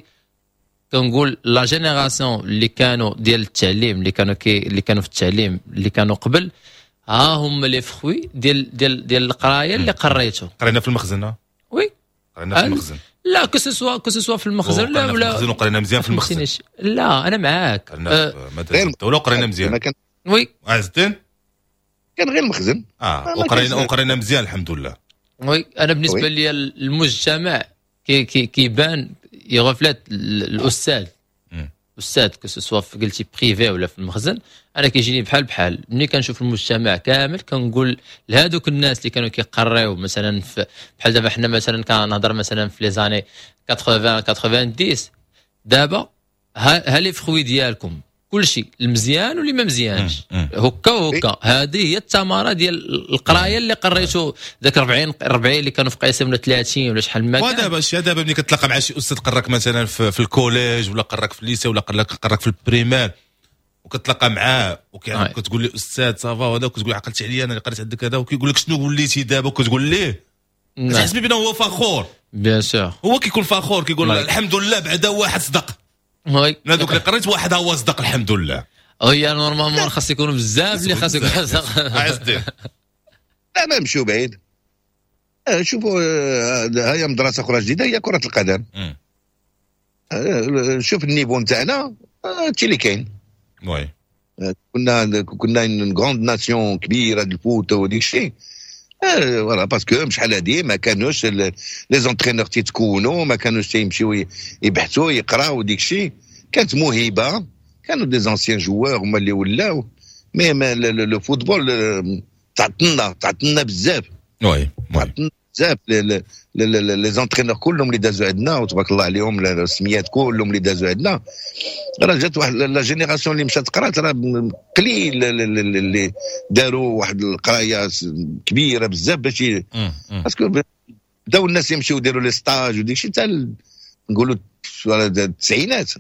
كنقول la génération اللي كانوا ديال التعليم، اللي كانوا كي اللي كانوا في التعليم، اللي كانوا قبل، ها هم les fruits ديال ديال ديال القراية اللي قريتو. قرينا في المخزن. oui قرينا في المخزن. لا que ce soit que ce soit في المخزن لا ولا المخزن، وقرينا مزيان في المخزن. لا انا معاك. قرينا في مدرسه الدولة وقرينا مزيان. oui عز الدين كان غير المخزن. اه وقرينا وقرينا مزيان الحمد لله. oui انا بالنسبة لي المجتمع كي كي كيبان ي reflète الاستاذ استاذ، que ce soit قلتي privé ولا في المخزن، انا كيجيني بحال بحال. ملي كنشوف المجتمع كامل كنقول لهذوك الناس اللي كانوا كيقريو مثلا في بحال دابا حنا مثلا كنهضر مثلا في les années ثمانين تسعين، دابا ها les fruits ديالكم كلشي المزيان واللي ما مزيانش هكا وهكا. هذه هي الثمرة ديال القراية اللي قريتو ذاك أربعين أربعين اللي كانوا في قيسم ولا ثلاثين ولا شحال ما كان. ودابا شي دابا ملي كتلاقى مع شي استاذ قراك مثلا في, في ال collège ولا قراك في ال lycée ولا قراك قراك في ال primaire، وكتلاقى معاه وكتقول له استاذ ça va وهذا، وكتقول عقلتي عليا انا اللي قريت عندك هذا، وكيقول لك شنو وليتي دابا، وكتقول ليه كتحس بانه هو فخور. bien sûr هو كيكون فخور، كيقول الحمد لله بعدا واحد صدق. oui هذوك اللي قريت واحد هو صدق الحمد لله. هي normalement خاص يكونوا بزاف اللي خاص يكونوا. عز الدين لا ما نمشيو بعيد. شوفوا هي مدرسه اخرى جديدة هي كره القدم. شوف ال niveau نتاعنا هادشي اللي كاين. oui كنا كنا une grande nation كبيرة ديال ال foot وديك الشيء، voilà parce que شحال هادي ما كانوش les entraîneurs تيتكونوا، ما كانوش تيمشيو يبحثوا يقراو ديك الشيء. كانت موهبة، كانوا des anciens joueurs هما اللي ولاو، mais le football تعطلنا تعطلنا بزاف. oui تعطلنا بزاف. les entraîneurs كلهم اللي دازوا عندنا وتبارك الله عليهم، السميات كلهم اللي دازوا عندنا، راه جات واحد la génération اللي مشات قرات، راه قليل اللي داروا واحد القراية كبيرة بزاف باش parce que بداو الناس يمشيو يديروا les stages وديك الشيء حتى نقولوا التسعينات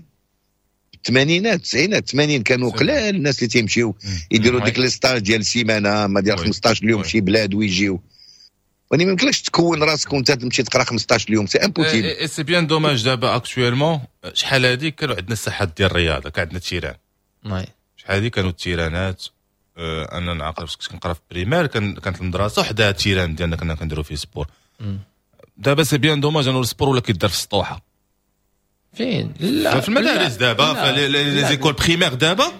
الثمانينات التسعينات الثمانين كانوا قلال الناس اللي تيمشيو يديروا ديك les stages ديال سيمانه ما ديال خمسطاش اليوم شي بلاد ويجيو. ولكن ما يمكنلكش تكون راسك وانت تمشي تقرا خمسطاش اليوم، c'est impossible. c'est bien dommage. دابا actuellement شحال هادي كانوا عندنا الساحات ديال الرياضه، كان عندنا terrain. شحال هادي كانوا التيرانات. انا نعقل فاش كنت كنقرا في primaire كان كانت المدرسة حدا terrain ديالنا كنا كنديروا فيه sport. دابا c'est bien dommage انه ال sport ولا كيدار في السطوحه. فين؟ لا في المدارس دابا في les écoles primaires، دابا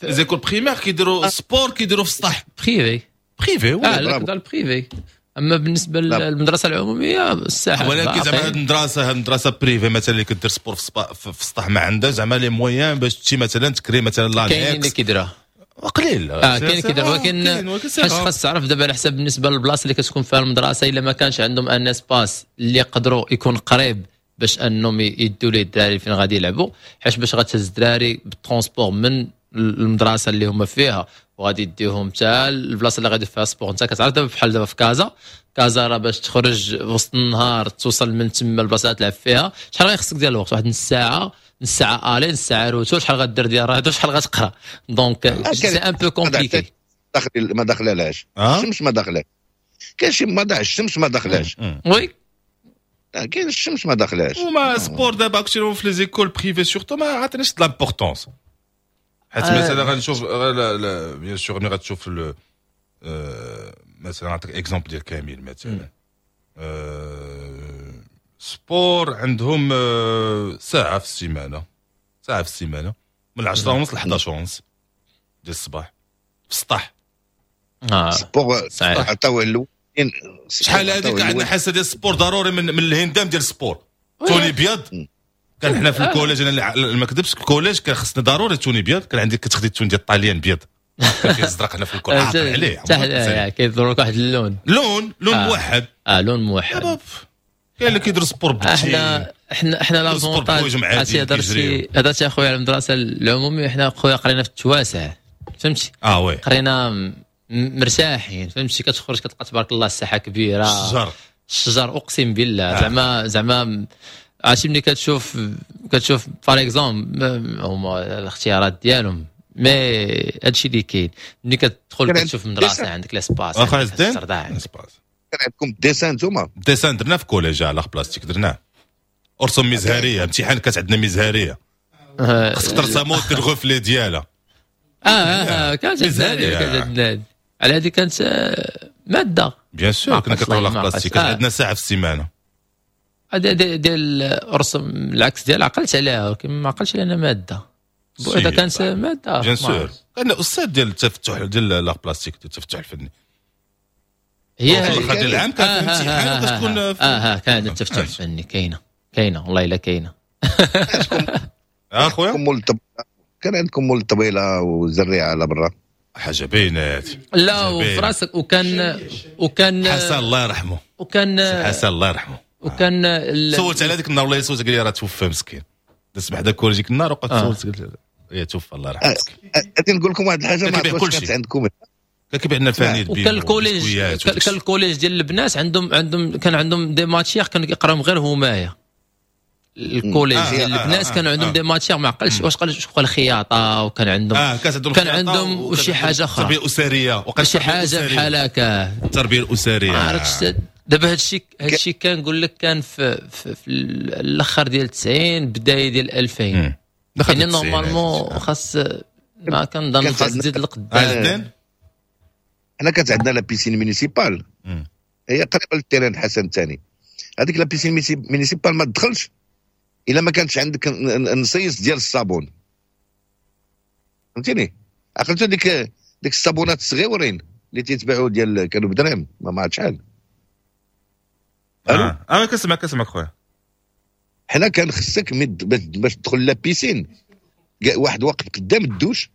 les écoles primaires كيديروا sport كيديروا في السطح. privé. privé. اه لا ال privé، اما بالنسبة للمدرسة العمومية الساحة. ولكن زعما هاد المدرسة هاد المدرسة privée مثلا اللي كدير sport في السطح ما عندها زعما les moyens باش تمشي مثلا تكري مثلا لا كاينين اللي كيديروها. قليل. اه كاين كيدير، ولكن خاص تعرف دابا على حسب بالنسبة للبلاصه اللي كتكون فيها المدرسه، الا ما كانش عندهم un espace اللي يقدروا يكون قريب باش انهم يدوا ليه الدراري فين غادي يلعبوا، حيت باش غتهز الدراري بال transport من المدرسة اللي هما فيها وغادي يديهم حتى البلاصة اللي غادي فيها sport. انت كتعرف دابا بحال دابا في كازا، كازا راه باش تخرج وسط النهار توصل من تما البلاصة اللي تلعب فيها شحال غيخصك ديال الوقت؟ واحد نص ساعه، نص ساعة aller، نص ساعة retour، شحال غدير ديال الرياضة، شحال غتقرا، donc c'est un peu compliqué. ما داخلهاش الشمس، ما داخلهاش. كاين شي ما الشمس ما داخلهاش. oui كاين الشمس ما داخلهاش. وما sport دابا actuellement في les écoles privées surtout ما عطيناش l'importance، حيت مثلا غنشوف bien sûr ملي غتشوف مثلا نعطيك exemple ديال كامل مثلا sport عندهم ساعة في السيمانه، ساعة في السيمانة من عشرة ونص ل حداش ونص ديال الصباح في السطح. اه sport عطاوه الاولين. شحال هذيك عندنا حصة ديال ال sport ضروري من من الهندام ديال ال sport tenue بيض. كان حنا في ال collège، انا ما كذبش ال collège كان خصنا ضروري tenue بيض. كان عندك كتخدي ال tenue ديال الطاليان بيض، كان فيه الزرق هنا في ال col عليه كيضرب لك واحد اللون. لون لون آه. موحد. اه لون موحد. كاين اللي كيدير sport احنا احنا احنا l'avantage. عرفتي هضرتي هضرتي اخويا على المدرسة العموميه، احنا خويا قرينا في التواسع. فهمتي؟ اه oui، قرينا مرتاحين، فهمتي؟ كتخرج كتلقى تبارك الله الساحة كبيره، الشجر. الشجر، اقسم بالله. زعما زعما عرفتي ملي كتشوف كتشوف par exemple هما الاختيارات ديالهم، mais هادشي اللي كاين، ملي كتدخل كتشوف مدرسه عندك l'espace. واخا عندك كان عندكم dessin نتوما؟ dessin درنا في collège على بلاستيك، درناه ارسم مزهريه، امتحان كانت عندنا مزهريه، خصك ترسمو دير ال reflet ديالها. اه اه كانت عندنا، كانت عندنا على هذه، كانت ماده. bien sûr، كنا كنقراو l'art plastique، كانت عندنا ساعة في السيمانه. هذا ديال ارسم العكس ديال، عقلت عليها ولكن ما عقلتش على ماده. اذا كانت ماده. bien sûr، كان استاذ ديال التفتح، ديال l'art plastique، ديال التفتح الفني. هي في الاخر ديال العام كان في امتحان وكتكون. اه اه كان التفتح الفني، كاينه كاينه، والله الا كاينه. اه خويا. كان عندكم مول الطبيله والزريعه على برا؟ حاجة بينات. لا، وفي راسك وكان وكان حسن الله يرحمه. وكان حسن الله يرحمه. وكان سولت على هذيك النهار، والله سولت، قال لي راه توفى مسكين. دزت بحدا كورجيك النهار وقعدت سولت، قلت لي توفى الله يرحمه مسكين. غادي نقول لكم واحد الحاجه، ما عرفتش كانت عندكم. كان كيبيع لنا الفانيد. وكان ال collège كان ال collège ديال البنات عندهم عندهم كان عندهم des matières كانوا كيقراوهم غير همايا. ال collège ديال البنات كانوا عندهم des matières، ما عقلتش واش قال الخياطه، وكان عندهم اه كانت عندهم كان عندهم شي حاجة اخرى. التربية الاسريه. شي حاجة بحال هكا. التربية الاسريه. ما عرفتش دابا هادشي هادشي كنقول لك كان في, في, في الاخر ديال تسعين، بداية ديال ألفين، يعني normalement خاص، ما كنظن خاص تزيد لقدام. حنا كانت عندنا la piscine municipale، هي قريبه لل terrain حسن الثاني. هذيك la piscine municipale ما تدخلش الا ما كانش عندك نصيص ديال الصابون، فهمتيني؟ عقلتو ديك ديك الصابونات الصغيورين اللي تيتباعوا ديال كانوا بدرهم ما عرفت شحال. اه اه كنسمع كنسمعك خويا. حنا كان خصك باش تدخل la piscine واحد واقف قدام الدوش،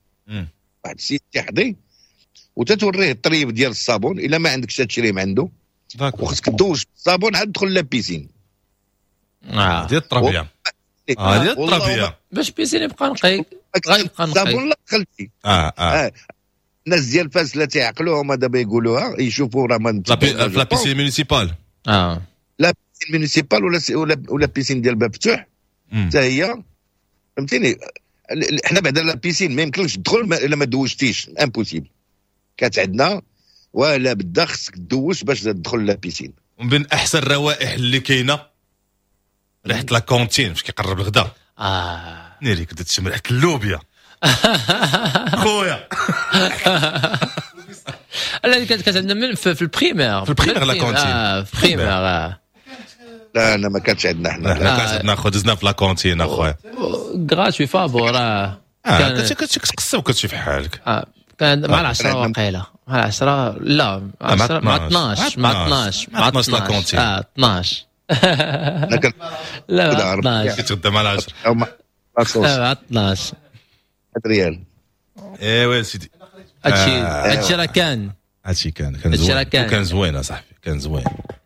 واحد السيد تيحضي وتتوريه الطريب ديال الصابون، الا ما عندكش تشريه من عنده، وخصك تدوش بالصابون عاد تدخل la piscine. اه ديال التربيه، اه ديال التربيه. باش piscine يبقى نقي، غيبقى نقي. الصابون لا دخلتي. اه اه, آه. الناس ديال فاس لا تيعقلوهم دابا يقولوها، يشوفوا راه ما la piscine municipale. اه la piscine municipale ولا ولا ولا piscine ديال باب فتوح حتى هي، فهمتيني؟ حنا بعدا la piscine ما يمكنلكش تدخل الا ما دوشتيش، impossible. كانت عندنا ولا بدا خصك تدوش باش تدخل la piscine. ومن بين احسن الروائح اللي كاينه ريحه la cantine فاش كيقرب الغداء. اه ناري، كنت تشم ريحه اللوبيا خويا. لا، كانت كانت عندنا من في, في ال primaire. في ال primaire la cantine. اه، في ال primaire آه. لا، انا ما كانتش عندنا حنا. لا، كانت عندنا خو، دزنا في la cantine اخويا. gratuit، فابور اه. اه، كنت كتقصى وكتمشي في حالك. اه، كان مع العشرة وقيله، مع العشرة، لا، مع العشرة، مع اثناش، مع اثناش. مع اثناش la cantine. اه، اثناش، لا، مع اثناش. كتغدى مع العشرة. مع اثناش. ريال. ايوا سيدي. هادشي هادشي راه كان. هادشي كان كان زوين، كان زوين اصاحبي، كان زوين،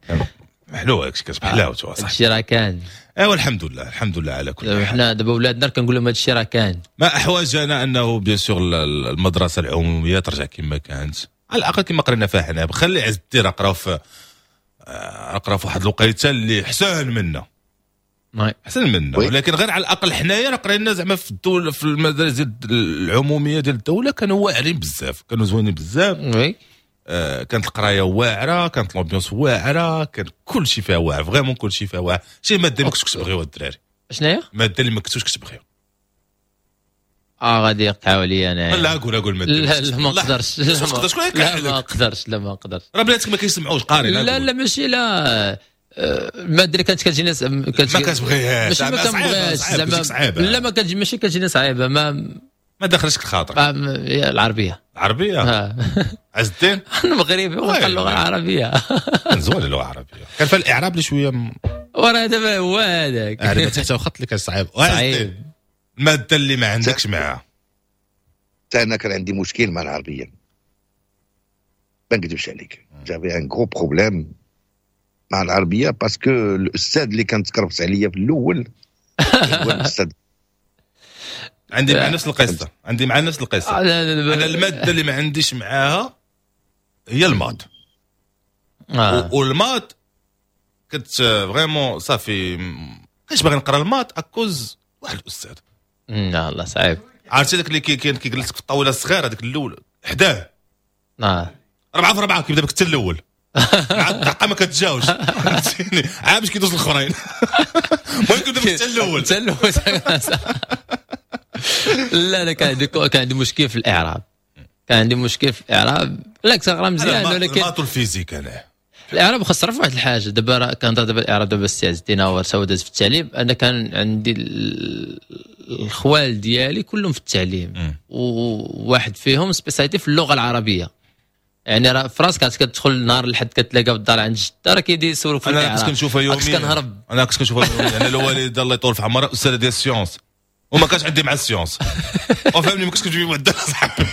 كان حلو هادشي، كانت بحلاوته اصاحبي. هادشي راه كان. ايوا الحمد لله، الحمد لله على كل حال. حنا دابا ولادنا كنقول لهم هادشي راه كان. ما احوجنا انه bien sûr المدرسة العمومية ترجع كما كانت، على الاقل كما قرينا فيها حنا. خلي عز الدين قراو في قراو في واحد الوقيته اللي حسن منا، احسن منا، ولكن غير على الاقل حنايا راه قرينا زعما في الدولة، في المدارس العمومية ديال الدوله، كانوا واعرين بزاف، كانوا زوينين بزاف. oui آه كانت القراية واعره، كانت l'ambiance واعره، كان كل شيء فيها واعر، vraiment كل شيء فيها واعر. شي مادة ما كنتش كتبغيو الدراري؟ شنو هي؟ مادة اللي ما كنتوش كتبغيو. اه، غادي يقطعوا لي انا. لا، قول قول ماده. لا لا، ما نقدرش. لا، ما لا، ما نقدرش، لا، ما نقدرش. راه بناتك ما كيسمعوش، قاري. لا لا، ماشي، لا، المادة اللي كانت كتجيني كانت ما كتبغيهاش. ماشي ما كنبغيهاش زعما، لا، ما كتجي، ماشي كتجيني صعيبه، ما ما دخلش الخاطر. العربيه. العربيه، عز الدين. المغربي وقال اللغة العربيه. كان زوين اللغة العربيه، كان فيها الاعراب اللي شويه. وراه دابا هو هذاك. اعراب تحت خط اللي كان صعيب. صعيب. المادة اللي ما عندكش معاها؟ حتى انا كان عندي مشكل مع العربيه، ما نكذبش عليك، j'avais un gros problème مع العربيه، parce que الاستاذ اللي كان تكرفس عليا في الاول هو الاستاذ عندي مع نفس القصة، عندي مع نفس القصة. انا المادة اللي ما عنديش معاها هي ال maths. آه. وال maths كنت vraiment صافي كنتش باغي نقرا ال maths à cause واحد الاستاذ. لا الله صعيب. عرفتي داك اللي كاين كيجلسك في الطاولة الصغيرة هذيك الاول حداه اه ربعه في ربعه كيبدا بك حتى الاول عاد الدقة ما كتجاوش فهمتيني، عاد باش كيدوز الاخرين. المهم كيبدا بك حتى الاول حتى الاول. لا لا كان عندي كان عندي مشكل في الاعراب، كان عندي مشكل في الاعراب. لا كنت نقرا مزيان ولكن ال maths وال physique. انا الاعراب خاص تعرف واحد الحاجة دابا، كنهضر دابا الاعراب دابا السي عز الدين هو داز في التعليم. انا كان عندي الخوال ديالي كلهم في التعليم، وواحد فيهم spécialité في اللغة العربية. يعني راه في راسك كتدخل نهار الحد كتلاقى في الدار عند جده راه كيدير يسولوك في انا كنت كنشوفها يوميا. كنت كنهرب، انا كنت كنشوفها يوميا. انا الوالد الله يطول في عمره استاذ ديال ال sciences، وما كانش عندي مع ال sciences وفهمني، ما كنتش كنجيب معدل صاحبي.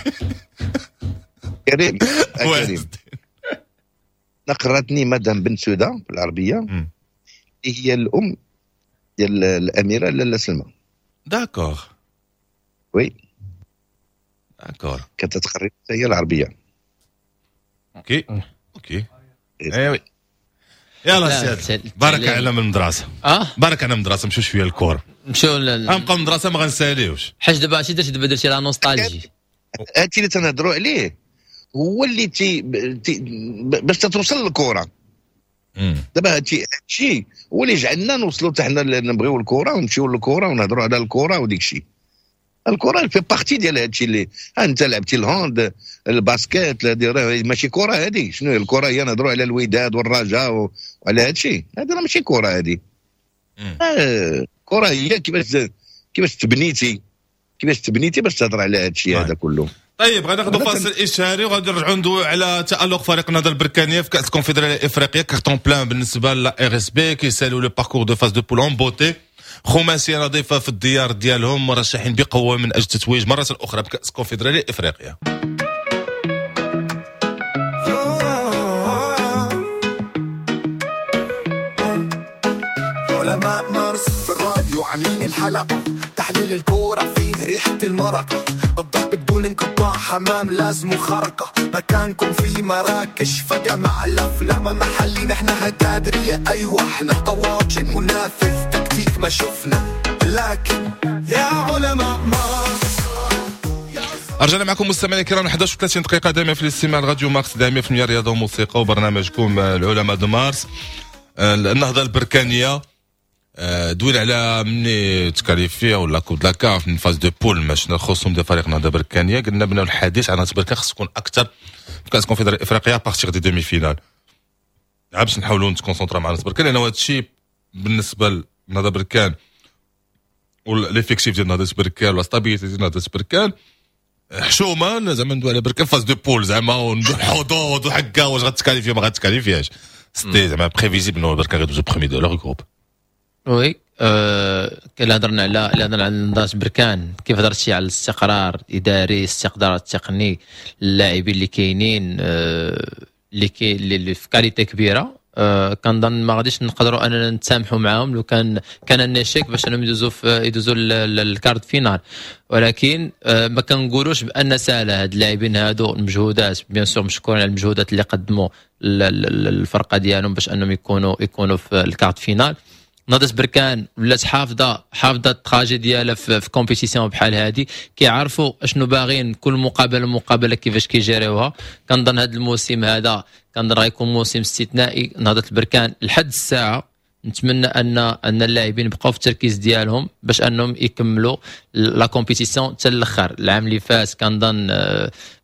كريم كريم قراتني مدام بن سوده في العربية، هي الام ديال الاميرة لاله سلمى. d'accord oui d'accord. كانت تقري هي العربية. OK OK ايوي. يلا سيد بارك على من المدرسة. اه بارك على المدرسة، نمشيو شوية للكورة. نمشيو غنبقاو المدرسة ما غنساليوش. حاج دابا شي درتي دابا درتي la nostalgie. هادشي اللي تنهضروا عليه هو اللي تي, تي باش تتوصل للكرة. دابا هادشي هادشي هو اللي جعلنا نوصلوا حتى حنا نبغيو الكره ونمشيو للكرة ونهضروا على الكره وديك الشيء. الكره fait partie ديال هادشي اللي انت لعبتي ال hand ال basket ماشي كره هذه. شنو هي الكره؟ هي نهضروا على الوداد والرجاء وعلى هادشي، هذا راه ماشي كره هذه. الكره هي كيفاش كيفاش تبنيتي كيفاش تبنيتي باش تهضر على هادشي هذا كله. طيب غناخذ فاصل اشهاري وغادي نرجعوا ندويو على تالق فريق النهضة البركانيه في كاس الكونفدراليه الافريقية. carton plein بالنسبة ل RSB كيسالوا le parcours de phase de poules en beauté. خماسيه نظيفة في الديار ديالهم، مرشحين بقوة من اجل التتويج مرة اخرى بكاس الكونفدراليه الافريقية. علماء مارس في الراديو عاملين الحلقة، تحليل الكورة فيه ريحه المرق، الضرب بدون انقطاع، حمام لازم خرقة، مكانكم في مراكش فجأة مع الأفلام محلي، نحن هتادرية أيوة احنا طواجن منافذ تكتيك ما شفنا، لكن يا علماء مارس. رجعنا معكم مستمعينا الكرام إحدى عشر وثلاثين دقيقة دائما في الاستماع لراديو مارس دائما في المية رياضة وموسيقى وبرنامجكم العلماء دو مارس. النهضة البركانية دويل على مني تكاليفيا ولا coupe la CAF من phase de poules ماشي خصهم ديال فريق النهضة البركانيه. قلنا بان الحديث عن نهضة بركان خص تكون اكثر في كاس الكونفدراليه الافريقية à partir des demi-finales، عاد باش نحاولوا نتكونسونطرا مع نهضة بركان، لانه هذا الشيء بالنسبة لنهضه بركان و l'effectif ديال نهضة بركان ولا stabilité ديال نهضة بركان حشومه زعما ندوي على بركان phase de poules زعما وندوي الحظوظ وحكا واش غتكاليفيا ما غتكاليفياش. c'était زعما prévisible انه بركان غيدوزو premiers de leur groupe. oui أه كان هضرنا على هضرنا على نهضة بركان، كيف هضرتي على الاستقرار الاداري، الاستقرار التقني، اللاعبين اللي كاينين أه اللي كي اللي في qualité كبيرة. أه كنظن ما غاديش نقدروا اننا نتسامحوا معاهم لو كان كان un échec باش انهم يدوزوا في يدوزوا ال quart de finale، ولكن أه ما كنقولوش بان سهلة هاد اللاعبين هادو. المجهودات bien sûr مشكورين على المجهودات اللي قدموا الفرقة ديالهم باش انهم يكونوا يكونوا في ال quart de finale. نهضة بركان ولات حافظه حافظه ال trajet ديالها في, في compétition بحال هذه، كيعرفوا اشنو باغيين كل مقابله مقابله كيفاش كيجريوها. كنظن هذا الموسم هذا كنظن غيكون موسم استثنائي نهضة البركان لحد الساعة. نتمنى ان ان اللاعبين يبقاو في التركيز ديالهم باش انهم يكملوا la compétition حتى الاخر. العام اللي فات كنظن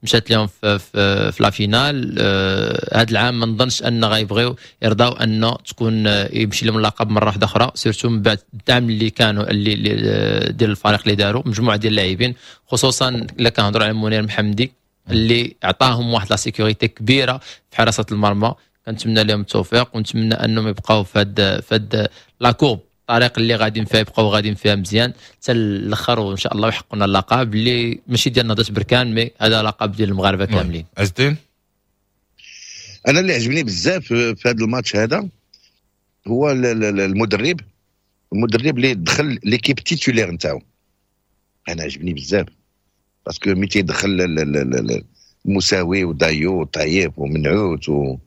مشات لهم في في, في la finale. هذا العام ما نظنش ان غيبغيو يرضاو ان تكون يمشي لهم اللقب مرة واحدة اخرى، surtout من بعد الدعم اللي كانوا اللي ديال الفريق اللي داروا مجموعة ديال اللاعبين، خصوصا الا كنهضروا على منير محمدي اللي عطاهم واحد la sécurité كبيرة في حراسة المرمى. كنتمنى لهم التوفيق ونتمنى انهم يبقاو في هاد في هاد la courbe، الطريق اللي غاديين فيها يبقاو غاديين فيها مزيان حتى الاخر، وان شاء الله يحققوا لنا اللقب اللي ماشي ديال نهضة بركان، mais هذا لقب ديال المغاربة كاملين. عزتين انا اللي عجبني بزاف في هذا الماتش هذا هو المدرب المدرب اللي دخل l'équipe titulaire نتاعو. انا عجبني بزاف parce que ملي تيدخل المساوي ودايو وطيب ومنعوت و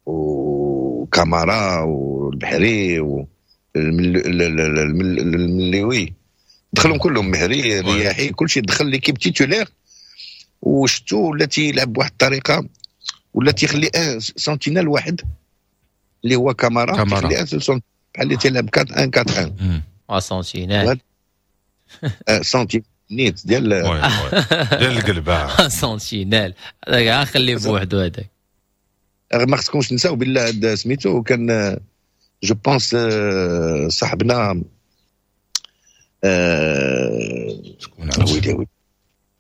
وكامارا والبحري والمليوي، دخلهم كلهم، مهري، رياحي، كل شيء دخل l'équipe titulaire. وشتو ولا تيلعب بواحد الطريقه، ولا تيخلي un sentinelle واحد اللي هو كامارا، تيخلي un seul بحال اللي تيلعب أربعة واحد أربعة واحد. اه sentinelle. sentinelle نيت ديال ديال القلب. sentinelle هذاك خليه بوحدو هذاك. ما خصكمش تنساو بالله هذا سميتو كان je pense صاحبنا شكون؟ ويلي ويلي،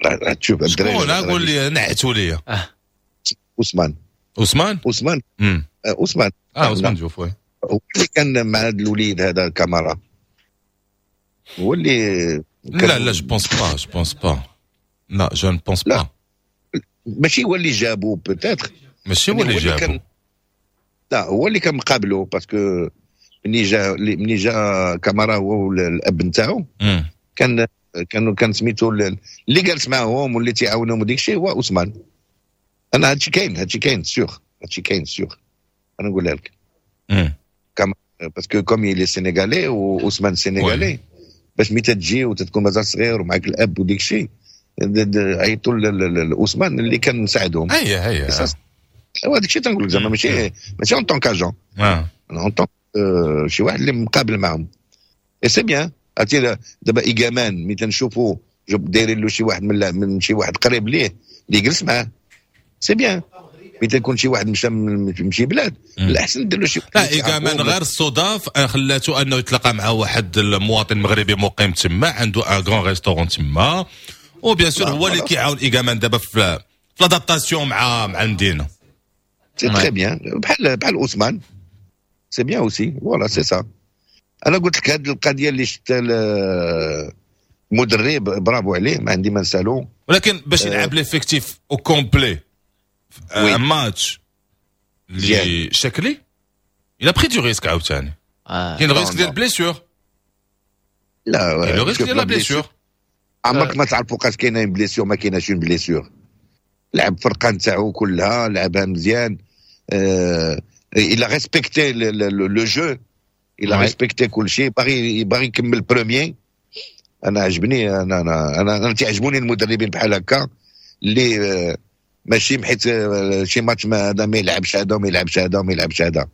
راه تشوف الدراري. شكون؟ قول لي، نعتوا لي. عثمان. عثمان. عثمان عثمان اه عثمان جوف، oui. هو اللي كان مع هذا الوليد هذا كامارا، هو اللي لا لا، je pense pas، je pense pas، لا، je ne pense pas. ماشي هو اللي جابو peut-être. ماشي هو اللي جابو. لا، هو اللي كان مقابلو، parce que ملي جا ملي جا كامارا هو الاب نتاعو، كان كان كان سميتو اللي جالس معاهم واللي تيعاونهم وديك الشيء هو عثمان. انا هادشي كاين، هادشي كاين sûr، هادشي كاين sûr، انا نقولها لك. parce que comme il est sénégalais وعثمان sénégalais، باش ملي تجي وتتكون مازال صغير ومعك الاب وديك الشيء، عيطوا لعثمان اللي كان مساعدهم. هي هي. هذاك الشيء تنقول لك، زعما ماشي ماشي en tant qu'agent، en tant شي واحد اللي مقابل معاهم، et c'est bien. عرفتي دابا ايغامان ملي تنشوفوا دايرين له شي واحد من من شي واحد قريب ليه اللي يجلس معاه، c'est bien. ملي تكون شي واحد مشى من شي بلاد، الاحسن دير له شي لا، ايغامان غير الصدف خلاته انه يتلاقى مع واحد المواطن مغربي مقيم تما، عنده un grand restaurant تما، و bien sûr هو اللي كيعاون ايغامان دابا في في l'adaptation مع مع المدينه. c'est très bien، بحال بحال عثمان، c'est bien aussi، voilà، c'est ça. انا قلت لك هذه القضية اللي شفت المدرب، برافو عليه، ما عندي ما نسالو. ولكن باش يلعب l'effectif au complet un match اللي شكلي، il a pris du risque عاوتاني، كاين risque ديال blessure. لا. كاين le risque ديال la blessure. عمرك ما تعرف فوقاش كاينه blessure، ما كايناش blessure. لعب فرقه نتاعو كلها لعبها مزيان، il a respecté le jeu، il a respecté كل شيء، باغي باغي يكمل premier. انا عجبني، انا انا انا, أنا تعجبوني المدربين بحال هكا اللي ماشي حيت شي ماتش ما هذا ما يلعبش هذا وما يلعبش هذا وما يلعبش هذا.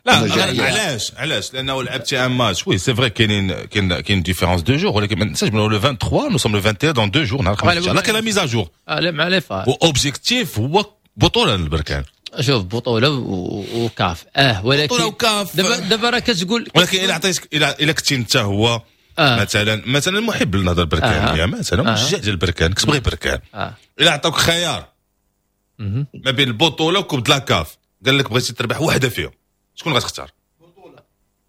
لا، علاش علاش؟ لانه لعبتي un match، oui c'est vrai كاينين كاين كاين différence de jours، ولكن ما تنساش le vingt-trois، nous sommes le vingt et un، dans deux jours نهار الخميس لا كاين la mise à jour. لا مع les FAR. objectif هو بطوله للبركان. شوف، بطوله وكاف اه ولكن بطوله وكاف. دابا دابا راه كتقول ولكن الا عطيتك، الا الا كنتي انت هو آه. مثلا مثلا محب للنهضه البركانيه آه. مثلا مشجع ديال البركان، كتبغي بركان آه. الا عطاوك خيار ما بين البطولة و coupe la CAF، قال لك بغيتي تربح وحده فيهم، شكون غتختار؟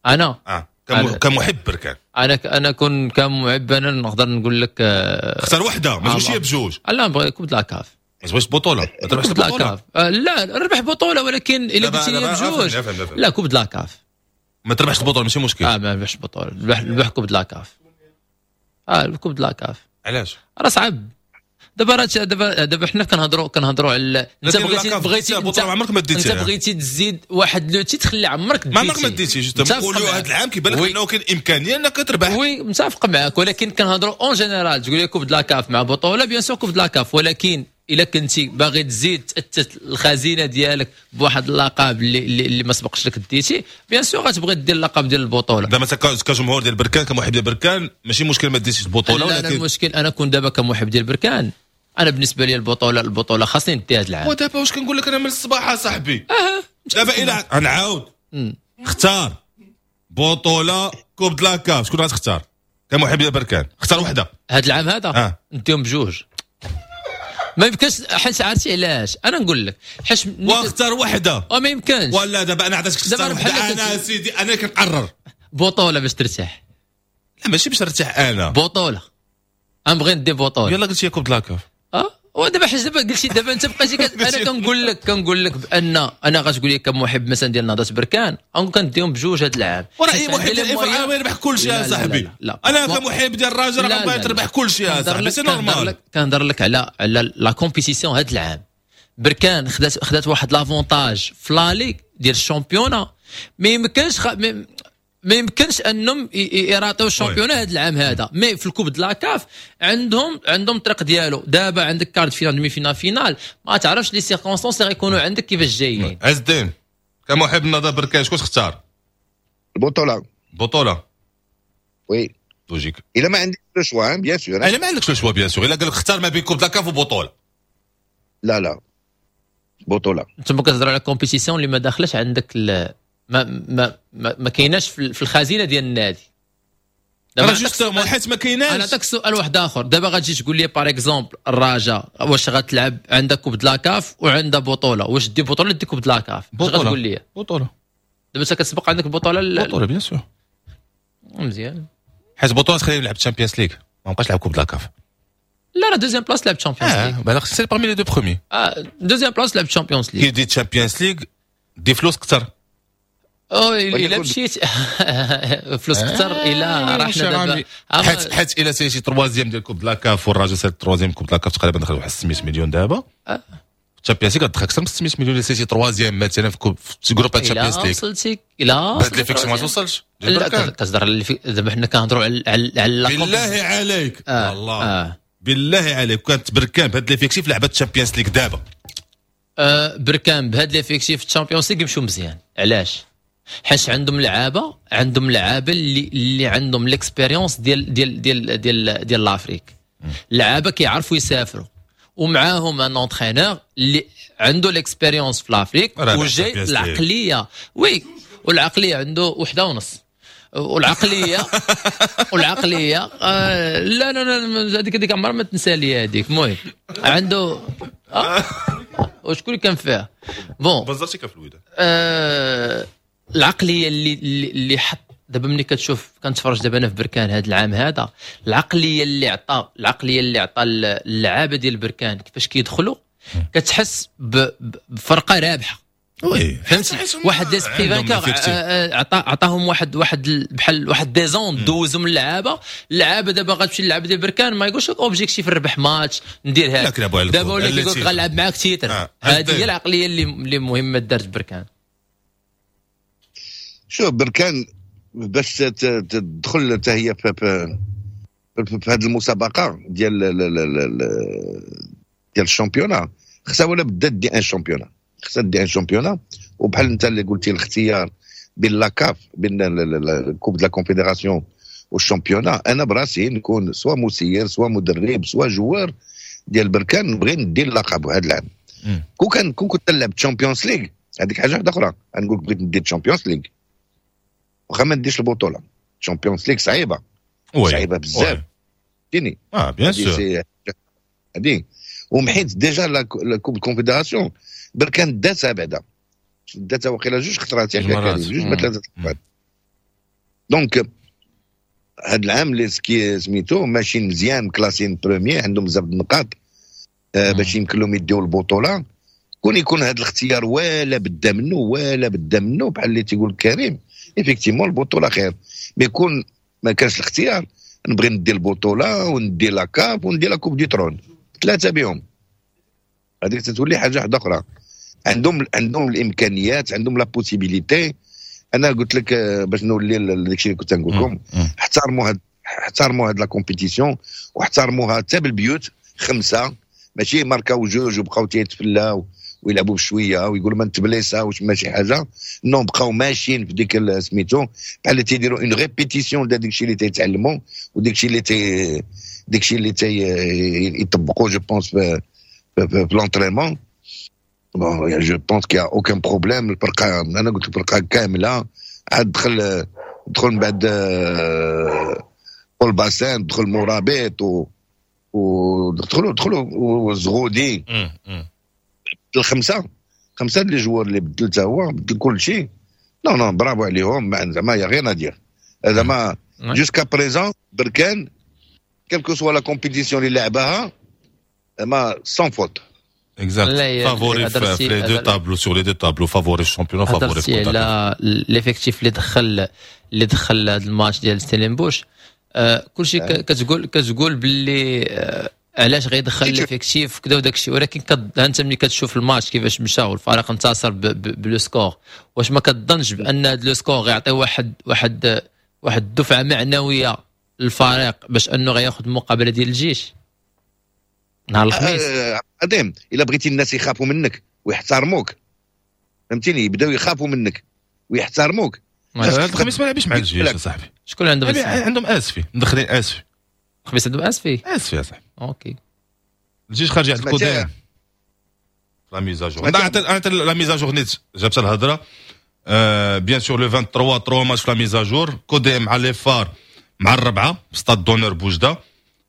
انا اه كمحب بركان. انا انا كون كمحب، انا نقدر نقول لك آه اختار وحده، ما تقولش بجوج. لا، نبغي coupe la CAF. ما تبغيش بطوله؟ ما تربحش البطوله؟ آه لا، نربح بطوله، ولكن الا قلت لي بجوج، لا، coupe la CAF. ما تربحش البطولة ماشي مشكل. اه ما نربحش البطوله، نربح نربح coupe la CAF، اه coupe la CAF. علاش؟ راه صعب دابا، راه دابا دابا حنا كنهضروا كنهضروا على انت بغيتي بغيتي انت عمرك ما ديتي. انت بغيتي تزيد واحد le titre اللي عمرك ما عمرك ما ديتي. نقولوا هذا العام كيبان لك انه كاين امكانية انك تربح. oui، متفق معاك، ولكن كنهضروا en général. تقول لي coupe la CAF مع بطوله، bien sûr coupe la CAF، ولكن الا كنتي باغي تزيد تاثث الخزينة ديالك بواحد اللقب اللي, اللي, اللي ما سبقش لك ديتي، bien sûr غتبغي دير اللقب ديال البطوله. دابا كجمهور ديال بركان، كمحب ديال بركان، ماشي مشكل ما ديتيش البطوله. ولكن لا، المشكل انا كون دابا كمحب ديال بركان، انا بالنسبة لي البطوله البطوله خاصني ندي هذا العام. ودابا واش كنقول لك انا من الصباح صاحبي؟ اه دابا الى نعاود، اختار بطوله، coupe la CAF، شكون غتختار كمحب ديال بركان؟ اختار وحده. هذا العام هذا آه. نديهم بجوج، ما يمكنش، حيت عرفتي علاش؟ انا نقول لك حيت واختار وحده. وما يمكنش. ولا دابا انا عطيتك تختار وحده، انا سيدي انا كنقرر. بطوله باش ترتاح. لا، ماشي باش نرتاح انا. بطوله، انا بغيت ندي بطوله. يلا قلت لي coupe la CAF. اه. ودابا حيت دابا قلتي دابا انت بقيتي كت... انا كنقول لك كنقول لك بان انا غتقول لي كمحب مثلا ديال نهضة بركان، غنقول كنديهم بجوج هذا العام. وراه اي محب ديال الافريقيا يربح كل شيء يا صاحبي. لا. انا كمحب ديال الرجاء راه بغيت تربح كل شيء يا صاحبي، c'est normal. كنهضر لك على على la compétition. هذا العام بركان خدات خدات واحد l'avantage في l'aller ديال ال championnat، ما يمكنش خ... ما يمكنش انهم يراطيو ال championnat هذا العام هذا، mais في ال coupe de la CAF عندهم عندهم الطريق ديالو. دابا عندك quart de finale، demi-finale، finale، ما تعرفش les circonstances اللي غيكونوا عندك كيفاش جايين. عز الدين، كمحب النهضة بركان، شكون تختار؟ البطوله. بطوله. oui. logique. الا ما عندكش le choix، bien sûr. الا ما عندكش le choix، bien sûr. الا قال لك اختار ما بين coupe de la CAF وبطوله. لا لا، بطوله. انتم كتهضروا على compétition اللي ما داخلش عندك، ما ما ما, ما كايناش في الخزينة ديال النادي. دابا justement حيت ما كايناش. انا نعطيك سؤال واحد اخر. دابا غتجي تقول لي par exemple الرجاء واش غتلعب، عندك coupe de la CAF وعندها بطوله، واش دي بطوله دي coupe de la CAF؟ بطوله. غتقول لي بطوله. دابا انت كتسبق عندك البطوله. بطوله، bien sûr. مزيان. حيت بطوله تخليني نلعب Champions League، ما بقاش نلعب coupe de la CAF. لا، راه deuxième place لعب Champions League. اه بالك c'est parmi les deux premiers. اه، deuxième place لعب Champions League. كي دي Champions League دي فلوس اكثر. او الا مشيت فلوس اكثر، الى رحنا دابا حيت حيت الا سيتي troisième ديال coupe de la CAF والرجاء سالي troisième coupe de la CAF، تقريبا دخل واحد ستمية مليون. دابا Champions League كتدخل اكثر من ستمية مليون الا سيتي troisième مثلا في coupe في groupe Champions League. وصلتي الى بهاد l'effectif ما توصلش. لا، كتهضر، دابا حنا كنهضروا على على بالله عليك، آه الله آه. بالله عليك، كانت بركان بهاد l'effectif لعبت Champions League دابا؟ آه بركان بهاد l'effectif في ال Champions League يمشوا مزيان. علاش؟ حيت عندهم لعابه عندهم لعابه اللي اللي عندهم l'expérience ديال ديال ديال ديال ديال l'Afrique، لعابه كيعرفوا يسافروا، ومعاهم un entraîneur اللي عنده l'expérience في l'Afrique وجاي العقليه، oui، والعقلية عنده وحده ونص، والعقليه والعقليه آه لا لا لا، هذيك هذيك عمرها ما تنسى لي هذيك. المهم عنده آه وشكون اللي كان فيها؟ bon. بزرتي كان في الوداد. آه العقلية اللي اللي حط دابا، ملي كتشوف، كنتفرج دابا انا في بركان هذا العام هذا، العقليه اللي عطى العقليه اللي عطى اللعابه ديال بركان، كيفاش كيدخلوا، كتحس بفرقة رابحه. oui. فهمتي؟ واحد l'esprit vainqueur عطا عطاهم واحد واحد بحال واحد des ondes دوزهم اللعابه. اللعابه دابا غتمشي اللعابه ديال بركان ما يقولش لك objectif نربح ماتش ندير هذا، دابا ولا كيقول لك غنلعب معاك titre. هذه هي العقلية اللي اللي مهمة دارت بركان. شوف، بركان باش تدخل حتى هي في في هذه المسابقة ديال ديال ال championnat، خصها ولا بدا دي un championnat، خصها دي un championnat. وبحال انت اللي قلتي، الاختيار بين la CAF، بين coupe de la confédération وال championnat، انا براسي نكون soit مسير، soit مدرب، soit joueur ديال بركان، نبغي ندير اللقب هذا العام. كون كان كون كنت نلعب Champions League، هذيك حاجة واحدة اخرى، نقول بغيت ندير Champions League واخا ما نديش البطوله. Champions League صعيبه، صعيبة بزاف. فهمتيني؟ اه، bien sûr. هذه ومحيت déjà la coupe confédération بركان داتها بعدا، داتها وقيلا جوج خطرات، جوج ما ثلاثة خطرات. donc هاد العام les سكي سميتو ماشيين مزيان، classés premiers، عندهم بزاف النقاط آه باش يمكن لهم يديو البطوله. كون يكون هذا الاختيار ولا بدا منه ولا بدا منه بحال اللي تيقول كريم، effectivement البطولة خير. mais يكون ما كانش الاختيار، نبغي ندي البطولة وندي la CAF وندي la coupe du trône، ثلاثة بهم، هذيك تتولي حاجة واحدة اخرى. عندهم عندهم الامكانيات، عندهم la possibilité. انا قلت لك آه، باش نولي داكشي اللي كنت نقول لكم، احترموا هاد احترموا هاد la compétition واحترموها حتى بالبيوت خمسه، ماشي ماركاو جوج وبقاو تيتفلاو ويلعبوا بشوية ويقولوا ما نتبليساوش ماشي حاجه. non، بقاو ماشيين في ديك سميتو، بحال اللي تيديروا une répétition ديال داك الشيء اللي تيتعلموا وداك الشيء اللي تي داك الشيء اللي تي يطبقوا، je pense في في l'entraînement. bon، je pense qu'il y a aucun problème. الفرقه، انا قلت الفرقة كامله، عاد دخل دخل من بعد بول باسان، دخل مرابط و ودخلوا دخلوا وزغودي، الخمسه خمسه les joueurs اللي بدل حتى هو بدل كل شيء. non non، bravo عليهم، زعما y a rien à dire. زعما jusqu'à présent بركان، quelle que soit la compétition اللي لعبها، ما sans faute. exact، favori في les deux tableaux، sur les deux tableaux، favori ال championnat، favori في على l'effectif اللي دخل اللي دخل هذا الماتش ديال ستيلينبوش. آه كلشي كتقول كتقول باللي آه علاش غيدخل l'effectif كذا وداك الشيء، ولكن انت ملي كتشوف الماتش كيفاش مشى والفريق انتصر ب le score، واش ما كتظنش بان هذا le score غيعطي واحد واحد واحد الدفعة معنوية للفريق باش انه غياخذ المقابلة ديال الجيش نهار الخميس؟ آه عظيم، الا بغيتي الناس يخافوا منك ويحترموك، فهمتيني، يبداو يخافوا منك ويحترموك. هذا الخميس ما لعبش مع الجيش يا صاحبي. شكون عندهم؟ عندهم اسفي، مدخلين اسفي. الخميس عندهم اسفي. اسفي يا صاحبي. OK. الجيش خارج عند الكودين la mise à jour، انا la mise à jour نيت جابت الهضره. bien sûr le ثلاثة وعشرين trois matchs في la mise à jour: كوديم مع les FAR مع الربعه stade d'honneur بوجده،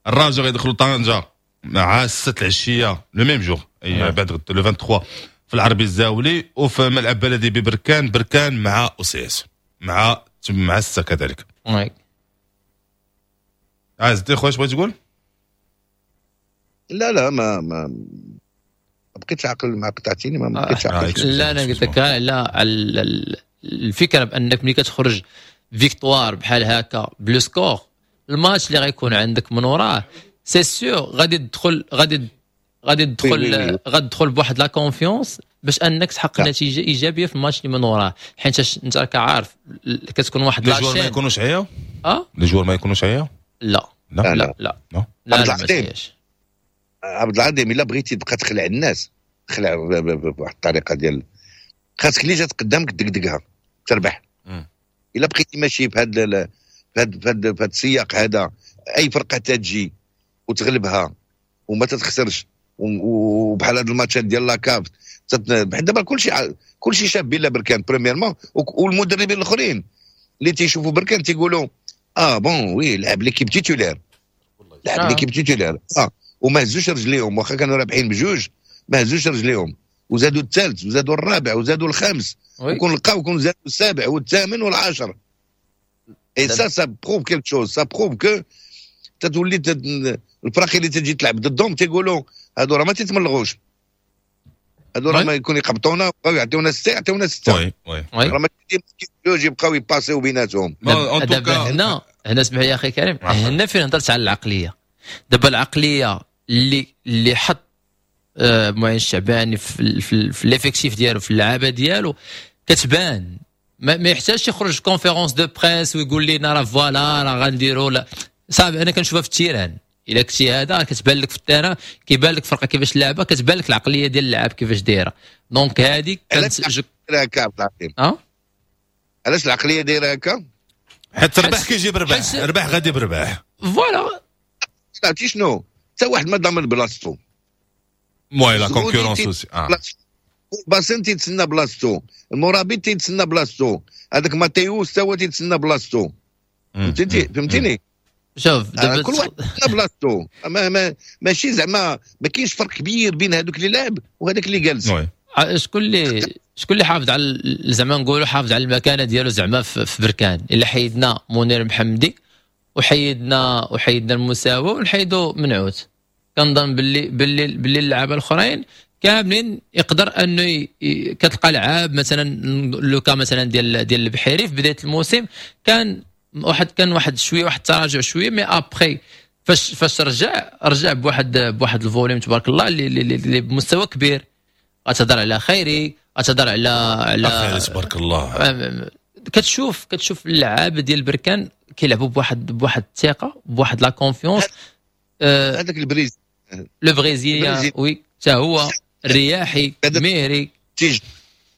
الراجا غيدخلوا طنجه مع ستة العشية le même jour، اي بعد le ثلاثة وعشرين في العربي الزاولي، وفي ملعب بلدي ببركان، بركان مع OCS مع مع ستة كذلك. oui. عايز خويا، اش بغيت تقول؟ لا لا، ما ما بقيتش عقل، ما قطعتيني، ما بقيتش عقل. لا، انا قلت لك لا، الفكرة بانك ملي كتخرج victoire بحال هكا ب le score، الماتش اللي غيكون عندك من وراه c'est sûr غادي تدخل غادي غادي تدخل غادي تدخل بواحد la confiance باش انك تحقق نتيجة ايجابية في الماتش اللي من وراه، حيت انت راك عارف كتكون واحد les joueurs ما يكونوش عياو؟ اه les joueurs ما يكونوش عياو؟ لا. لا. لا لا لا لا، لا. عبد العظيم، الا بغيتي تبقى تخلع الناس، خلع بواحد الطريقة ديال خاصك اللي جات قدامك دقدقها تربح. الا بقيتي ماشي بهذا في هذا في السياق هذا، اي فرقه تجي وتغلبها وما تتخسرش، وبحال هاد الماتشات ديال la CAF، بحال دابا كلشي كلشي شاف بلا بركان premièrement، والمدربين الاخرين اللي تيشوفوا بركان تيقولوا اه bon oui، لعب l'équipe titulaire، لعب آه. l'équipe titulaire اه وما هزوش رجليهم، واخا كانوا رابحين بجوج ما هزوش رجليهم، وزادوا الثالث وزادوا الرابع وزادوا الخامس، وكون لقاو كون زادوا السابع والثامن والعاشر. et ça ça prouve quelque chose، ça prouve que تتولي الفرق اللي تجي تلعب ضدهم تيقولوا هادو راه ما تيتملغوش، هادو راه ما يكون يقبطونا ويبقاو يعطيونا ستة يعطيونا سته. oui oui راه ما جوج يبقاو يباسيو بيناتهم. دابا هنا هنا اسمح لي يا اخي كريم، هنا فين هضرت على العقليه. دابا العقلية اللي اللي حط آه، معين الشعباني في في, في l'effectif ديالو، في اللعابه ديالو، كتبان. ما, ما يحتاجش يخرج conférence de presse ويقول لنا راه voilà راه غنديروا. لا صافي، انا كنشوفها في ال terrain. الا كنتي هذا كتبان لك في ال terrain، كيبان لك فرقه كيفاش لعبه، كتبان لك العقلية ديال اللاعب كيفاش دايره. donc هذه كانت هكا عبد العظيم. اه علاش العقلية دايرة هكا؟ حيت ربح كيجيب ربح، ربح غادي بربح. voilà. عرفتي شنو؟ حتى واحد ما ضامن بلاصتو. oui، la concurrence aussi. باسن تيتسنى بلاصتو، المرابط تيتسنى بلاصتو، هذاك ماتيوس تا هو تيتسنى بلاصتو، فهمتي فهمتيني؟ شوف. دابا كل واحد تيتسنى بلاصتو، ما ما ماشي زعما ما كاينش فرق كبير بين هذوك اللي لعب وهذاك اللي جالس. شكون اللي شكون اللي حافظ على، زعما نقولوا حافظ على المكانة ديالو زعما في بركان؟ الا حيدنا منير محمدي وحيدنا وحيدنا المساوي ونحيدوا منعوت، كنظن باللي باللي باللي اللعابه الاخرين كاملين يقدر انه ي... كتلقى لعاب مثلا le cas مثلا ديال ديال البحيري، في بداية الموسم كان واحد كان واحد شوية واحد التراجع شويه، mais après فاش فاش رجع رجع بواحد بواحد ال volume تبارك الله اللي, اللي, اللي بمستوى كبير. غتهضر على خيري، غتهضر على على خيري تبارك الله. كتشوف كتشوف اللعابه ديال بركان كيلعبوا بواحد بواحد الثقه، بواحد la confiance. هذاك البريز le brésilien، oui، حتى هو الرياحي مهري. تيج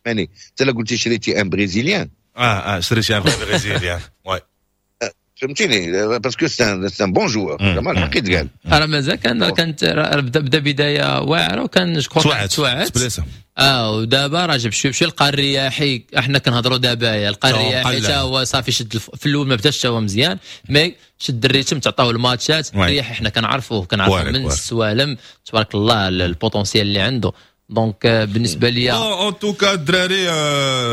يعني انت قلتي شريتي un brésilien. اه اه شريتي un brésilien، oui. فهمتيني، parce que c'est un bon joueur، زعما الحق يتقال. راه مازال كان كانت بدا بدا بداية واعرة وكان je crois توعد. اه ودابا راه جاب شوية بشويه. لقى الرياحي، احنا كنهضروا دابا، لقى الرياحي حتى هو صافي شد. في الاول ما بداش هو مزيان، mais شد ال rythme، تعطاو الماتشات. الرياحي حنا كنعرفوه كنعرفوه من السوالم، تبارك الله ال potentiel اللي عنده. donc بالنسبة لي en tout cas الدراري،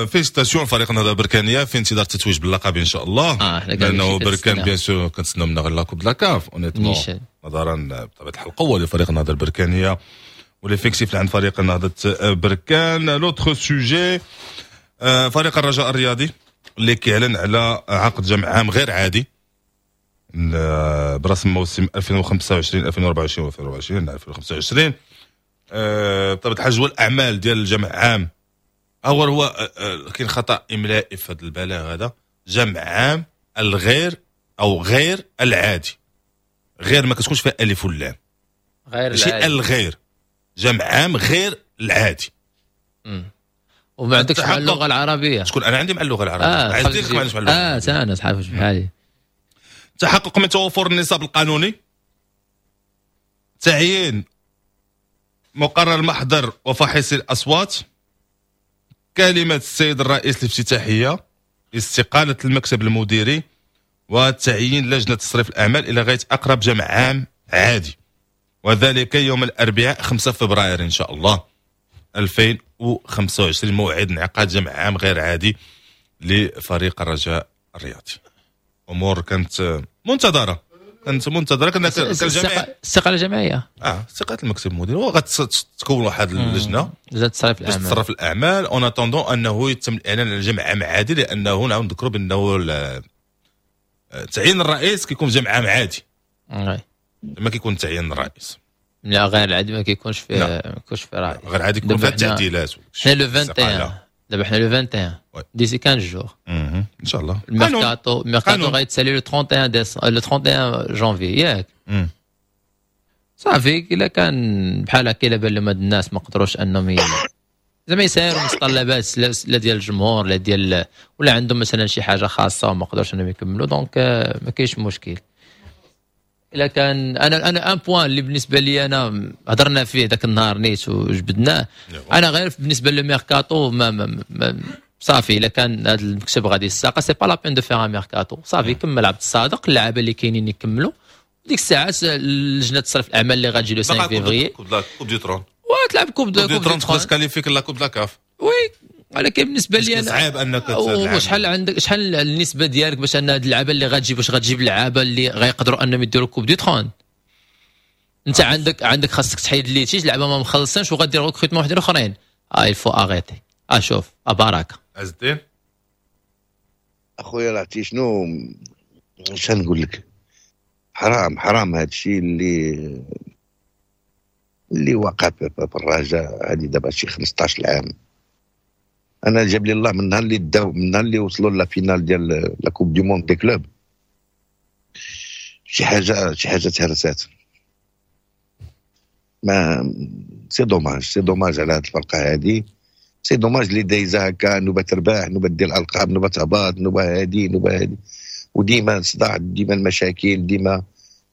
félicitations فريق النهضة البركانيه في انتظار التتويج باللقب ان شاء الله. اه لانه بركان bien sûr كنتسناو منا غير la coupe la CAF honnêtement. نظرا بطبيعة الحال القوة لفريق النهضة البركانيه و l'effectif اللي عند فريق نهضة بركان. l'autre sujet، فريق الرجاء الرياضي اللي كيعلن على عقد جمع عام غير عادي برسم موسم ألفين وخمسة وعشرين ألفين وأربعة وعشرين ألفين وأربعة وعشرين ألفين وخمسة وعشرين. بطبيعة الحال جدول الاعمال ديال الجمع عام اول هو آه، آه، كاين خطا املائي في هذا البلاغ هذا، جمع عام الغير او غير العادي، غير ما كتكونش فيها الف واللام. غير ماشي العادي. الغير، جمع عام غير العادي. وما عندكش مع التحقق. اللغة العربيه. شكون انا عندي مع اللغة العربيه؟ اه. عايز ديرك ما عنديش مع اللغة اه. العربية. انا صحافي بحالي. تحقق من توفر النصاب القانوني، تعيين مقرر المحضر وفاحص الأصوات، كلمة السيد الرئيس الافتتاحية، استقالة المكتب المديري، وتعيين لجنة تصريف الأعمال إلى غاية أقرب جمع عام عادي، وذلك يوم الأربعاء خمسة فبراير إن شاء الله ألفين وخمسة وعشرين، موعد انعقاد جمع عام غير عادي لفريق الرجاء الرياضي. امور كانت منتظره، كانت منتظره، كان كان الجميع استقالة جماعيه. اه، استقالة المكتب المدير وغتكون واحد اللجنة لجنة تصريف باش الاعمال. تصرف الاعمال en attendant انه يتم الاعلان على جمع عام عادي، لانه نعاود نذكروا بانه ال- تعيين الرئيس كيكون في جمع عام عادي. oui. ما كيكون تعيين الرئيس. لا، غير العادي ما كيكونش فيه. نعم. ما كيكونش فيه رئيس. غير عادي يكون دابا فيها حنا- التعديلات. حنا le واحد وعشرين، دابا حنا le واحد وعشرين، oui. d'ici quinze jours. مهم. ان شاء الله. الميركاتو الميركاتو قانون. غيتسالي le trente et un décembre، le trente et un janvier، ياك؟ مم. صافي، الا كان بحال هكا، الا بان لهم هاد الناس ما قدروش انهم ي... زعما يسايروا متطلبات لا لا ديال الجمهور لا ديال ولا عندهم مثلا شي حاجة خاصة وما قدروش انهم يكملوا، donc آه، ما كاينش مشكل. الا كان انا انا un point اللي بالنسبة لي انا هضرنا فيه ذاك النهار نيت وجبدناه، انا غير بالنسبة للميركاتو ما, ما, ما صافي، الا كان هذا المكتب غادي يستقيل، c'est pas la peine de faire un mercato. صافي، كمل عبد الصادق، اللعابه اللي كاينين يكملوا، ديك الساعات لجنة تصرف الاعمال اللي غتجي le خمسة فيفري. coupe la coupe du trône. وتلعب coupe coupe du trône، تقدر تكاليفيك la coupe la CAF. oui، ولكن بالنسبة لي انا صعيب انك وشحال عندك، شحال النسبة ديالك باش ان هاد اللعابه اللي غتجيب، واش غتجيب لعابه اللي غيقدروا انهم يديروا coupe du trône؟ انت عندك عندك خاصك تحيد litiges، لعابه ما مخلصينش، وغدير recrutement وحدين اخرين. اه il faut arrêter. اه شوف، اه بركه. عز الدين. اخويا عرفتي شنو اش نقول لك؟ حرام حرام هذا الشيء اللي اللي وقع في الرجاء هذه دابا شي خمسطاش عام. انا جاب لي الله من نهار اللي داو، من نهار اللي وصلوا la finale ديال la coupe du monde des clubs، شي حاجه شي حاجة تهرسات. mais c'est dommage، c'est dommage على هذه الفرقة هذه، c'est dommage اللي دايزه هكا، نوبه تربح، نوبه دير الالقاب، نوبه تهبط، نوبه هادي، نوبه هادي، وديما الصداع، ديما المشاكل، ديما.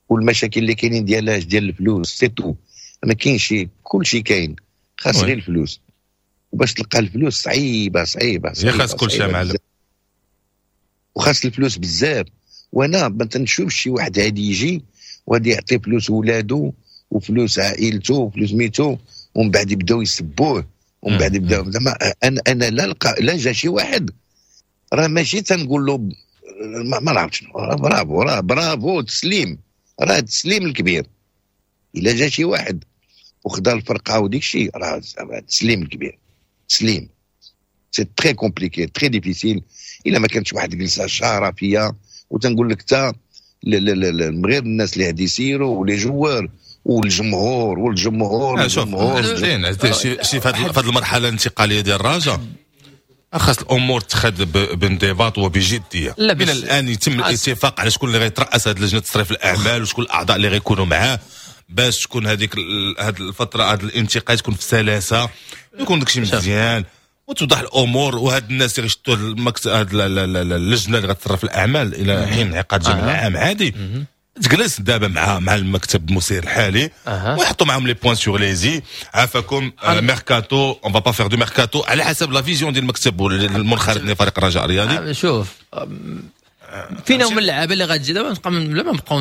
والمشاكل اللي كاينين ديالاش؟ ديال الفلوس، c'est tout. ما كاينش، كل شيء كاين، خاص غير الفلوس، وباش تلقى الفلوس صعيبة صعيبة صعيبه. خاص كل شيء معلم. وخاص الفلوس بزاف، وانا ما تنشوفش شي واحد غادي يجي وغادي يعطي فلوس ولادو وفلوس عائلته وفلوس ميتو، ومن بعد يبداو يسبوه، ومن بعد يبداو زعما انا انا لا لقى لا جا شي واحد راه ماشي تنقول له ما, ما نعرف شنو، برافو، راه برافو، تسليم، راه التسليم الكبير. الا جا شي واحد وخدا الفرقة وديك الشيء، راه التسليم الكبير، تسليم. c'est très compliqué، très difficile الا ما كانتش واحد جلسه شرفيه. وتنقول لك تا غير الناس اللي غادي يسيروا و les joueurs والجمهور والجمهور. شوف زين، شي شي في هذه المرحلة الانتقالية ديال الرجاء خاص الامور تخذ بانضباط وبجديه. لا، من الان يتم الاتفاق على شكون اللي غيترأس هذه لجنة تصريف الاعمال وشكون الاعضاء اللي غيكونوا معاه، باش تكون هذيك هذه الفتره، هذا الانتقال تكون في سلاسه، يكون داكشي مزيان وتوضح الامور. وهاد الناس اللي غيشدوا المكتب، هاد اللجنة اللي غتصرف الاعمال الى حين انعقاد جمع عام عادي، تجلس دابا مع مع المكتب المسير الحالي أه. ويحطوا معاهم les points sur les i. عافاكم، mercato، on va pas faire de mercato، على حسب la vision ديال المكتب المنخرط لفريق الرجاء الرياضي. شوف، فينا هما اللعابه اللي غتجي دابا؟ نبقى لا ما نبقاو،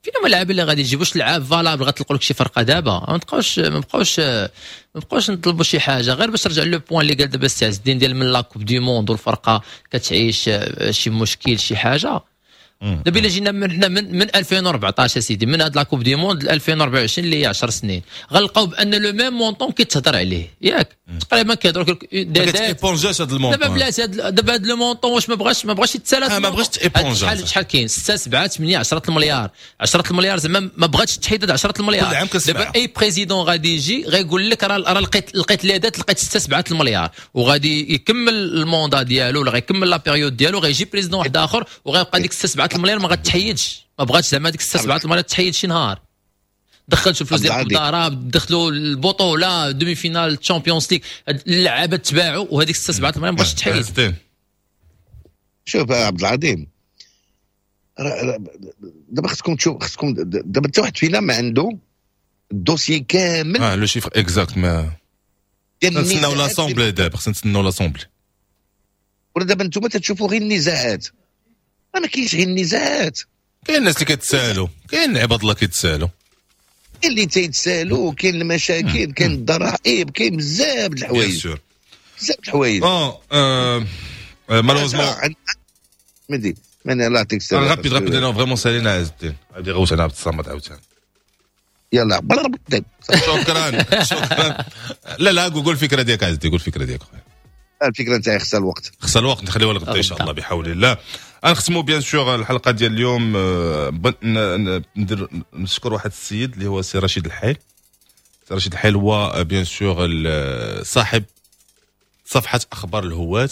فينا هما اللعابه اللي غادي يجيبوا؟ واش لعاب valable غتلقوا لك شي فرقه دابا؟ ما نبقاوش ما نبقاوش ما نبقاوش نطلبوا شي حاجه. غير باش نرجع le point اللي قال دابا السي عز الدين ديال من la coupe du monde والفرقة كتعيش شي مشكل شي حاجه. دابا الا جينا من حنا من, من ألفين وأربعطاش اسيدي، من هاد la Coupe du monde ل ألفين وأربعة وعشرين اللي هي عشر سنين، غنلقاو بان le même montant كيتهضر عليه، ياك تقريبا كيهضروا ما كتيبونجاش هاد ال montant. دابا بلاتي دابا هاد le montant واش ما بغاش ما بغاش يتسالى، ما بغاش تيبونجا. شحال شحال كاين؟ ستة سبعة ثمانية عشرة المليار، عشرة المليار زعما ما بغاتش تحيد عشرة المليار. دابا اي président غادي يجي غيقول لك راه راه لقيت لقيت les dettes، لقيت ستة سبعة المليار، وغادي يكمل ال mandat ديالو ولا غيكمل la période ديالو، غيجي président واحد اخر وغيبقى ديك ستة سبعة المليار ما غتحيدش. ما بغاتش زعما ديك ستة سبعة المليار تحيد شي نهار. دخلتوا الفلوس ديال الدارة، دخلوا البطولة demi-finale Champions League، اللعابه تباعوا وهذيك ستة سبعة المليار ما بغاتش تحيد. شوف يا عبد العظيم، دابا خصكم تشوف، خصكم دابا حتى واحد فينا ما عنده ال dossier كامل. اه le chiffre exact ما نتسناو l'assemblée، دابا خصنا نتسناو l'assemblée. ولا دابا نتوما تتشوفوا غير النزاعات، ما كاينش غير النزاعات، كاين الناس اللي كيتسالوا، كاين عباد الله كيتسالوا، كاين اللي تيتسالوا، كاين المشاكل، كاين الضرائب، كاين بزاف د الحوايج، بزاف د الحوايج. اه malheureusement مدي ماني الله يعطيك السلامة. rapide rapide انا vraiment سالينا عز الدين، غادي غوت انا عبد الصمد عاوتاني. يلا شكرا شكرا. لا لا قول الفكرة ديالك عز الدين، قول الفكرة ديالك خويا. الفكرة نتاعي خصها الوقت، خصها الوقت، نخليوها لغدا ان شاء الله بحول الله. غنختموا bien sûr الحلقة ديال اليوم. ندير نشكر واحد السيد اللي هو سي رشيد الحيل. سي رشيد الحيل هو bien sûr صاحب صفحة اخبار الهواة،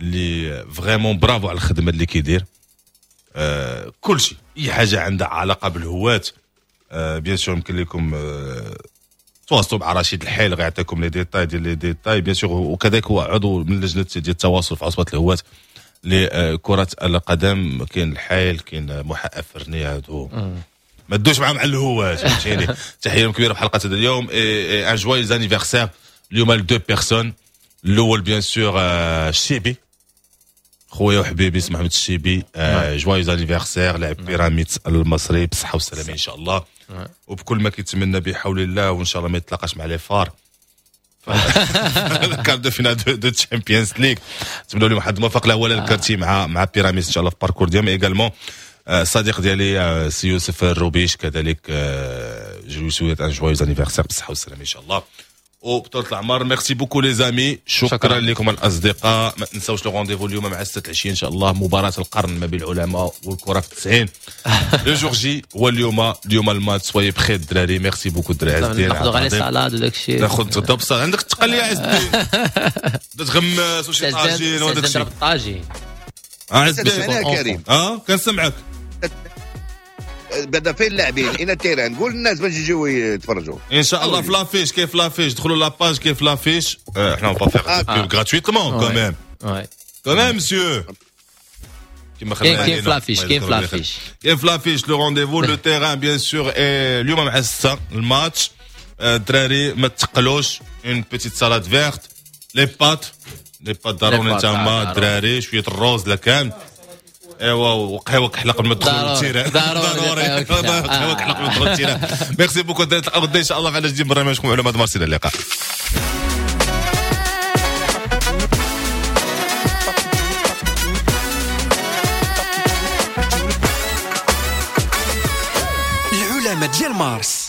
اللي vraiment bravo على الخدمة اللي كيدير. آه كل شيء، اي حاجة عندها علاقة بالهواة آه bien sûr يمكن لكم آه تواصلوا مع رشيد الحيل، غيعطيكم les détails ديال les détails bien sûr. وكذلك هو عضو من لجنة ديال التواصل في عصبه الهواة لكرة القدم. كاين الحيل، كاين محقق فرني، هادو ما دوش معاهم على الهواة، فهمتيني. تحية كبيرة في حلقة هذا اليوم. un joyeux anniversaire اليوم ل deux personnes. الاول bien sûr الشيبي، خويا وحبيبي اسمه محمد الشيبي، joyeux anniversaire، لاعب بيراميدز المصري، بالصحة والسلامة ان شاء الله، وبكل ما كيتمنى بحول الله، وان شاء الله ما يتلاقاش مع les FAR quart de finale de Champions League. نتمنوا لهم حظ موفق لا ولا الكارتي مع مع بيراميدز ان شاء الله في parcours ديالهم. également الصديق ديالي سي يوسف الروبيش، كذلك je lui souhaite un joyeux anniversaire، بالصحة والسلامة ان شاء الله وبطولة العمر. merci beaucoup les amis، شكرا لكم الاصدقاء. ما تنساوش le rendez-vous اليوم مع ستة العشية ان شاء الله، مباراة القرن ما بين العلماء والكره في التسعين. le jour J هو اليوم، اليوم الماتش. soyez prêts الدراري. merci beaucoup الدراري. عز الدين ناخذ غير salade وداك الشيء، ناخذ تغدا عندك التقليه عز الدين، تغمس وشي طاجين وداك الشيء. الطاجين عز الدين اه كنسمعك. بدا فين اللاعبين الى ال terrain، قول للناس باش يجيو يتفرجوا ان شاء الله في l'affiche. كيف l'affiche، دخلوا la page كيف l'affiche. احنا on va faire pub gratuitement quand même quand même monsieur. كيما خلينا كيف l'affiche، كيف l'affiche، كيف l'affiche le rendez-vous le terrain bien sûr. اليوم مع ستة الماتش. الدراري ما تقلوش، une petite salade verte، les pâtes، les pâtes ضروري تما الدراري، شوية الروز لا كان، ايوا وقهوة كحلة قبل ما تدخل ال terrain، ضروري قهوة كحلة قبل ما تدخل ال terrain. merci beaucoup الدراري، نتلاقاو غدا ان شاء الله في على جديد برنامجكم علماء مارس. الى اللقاء. العلماء ديال مارس.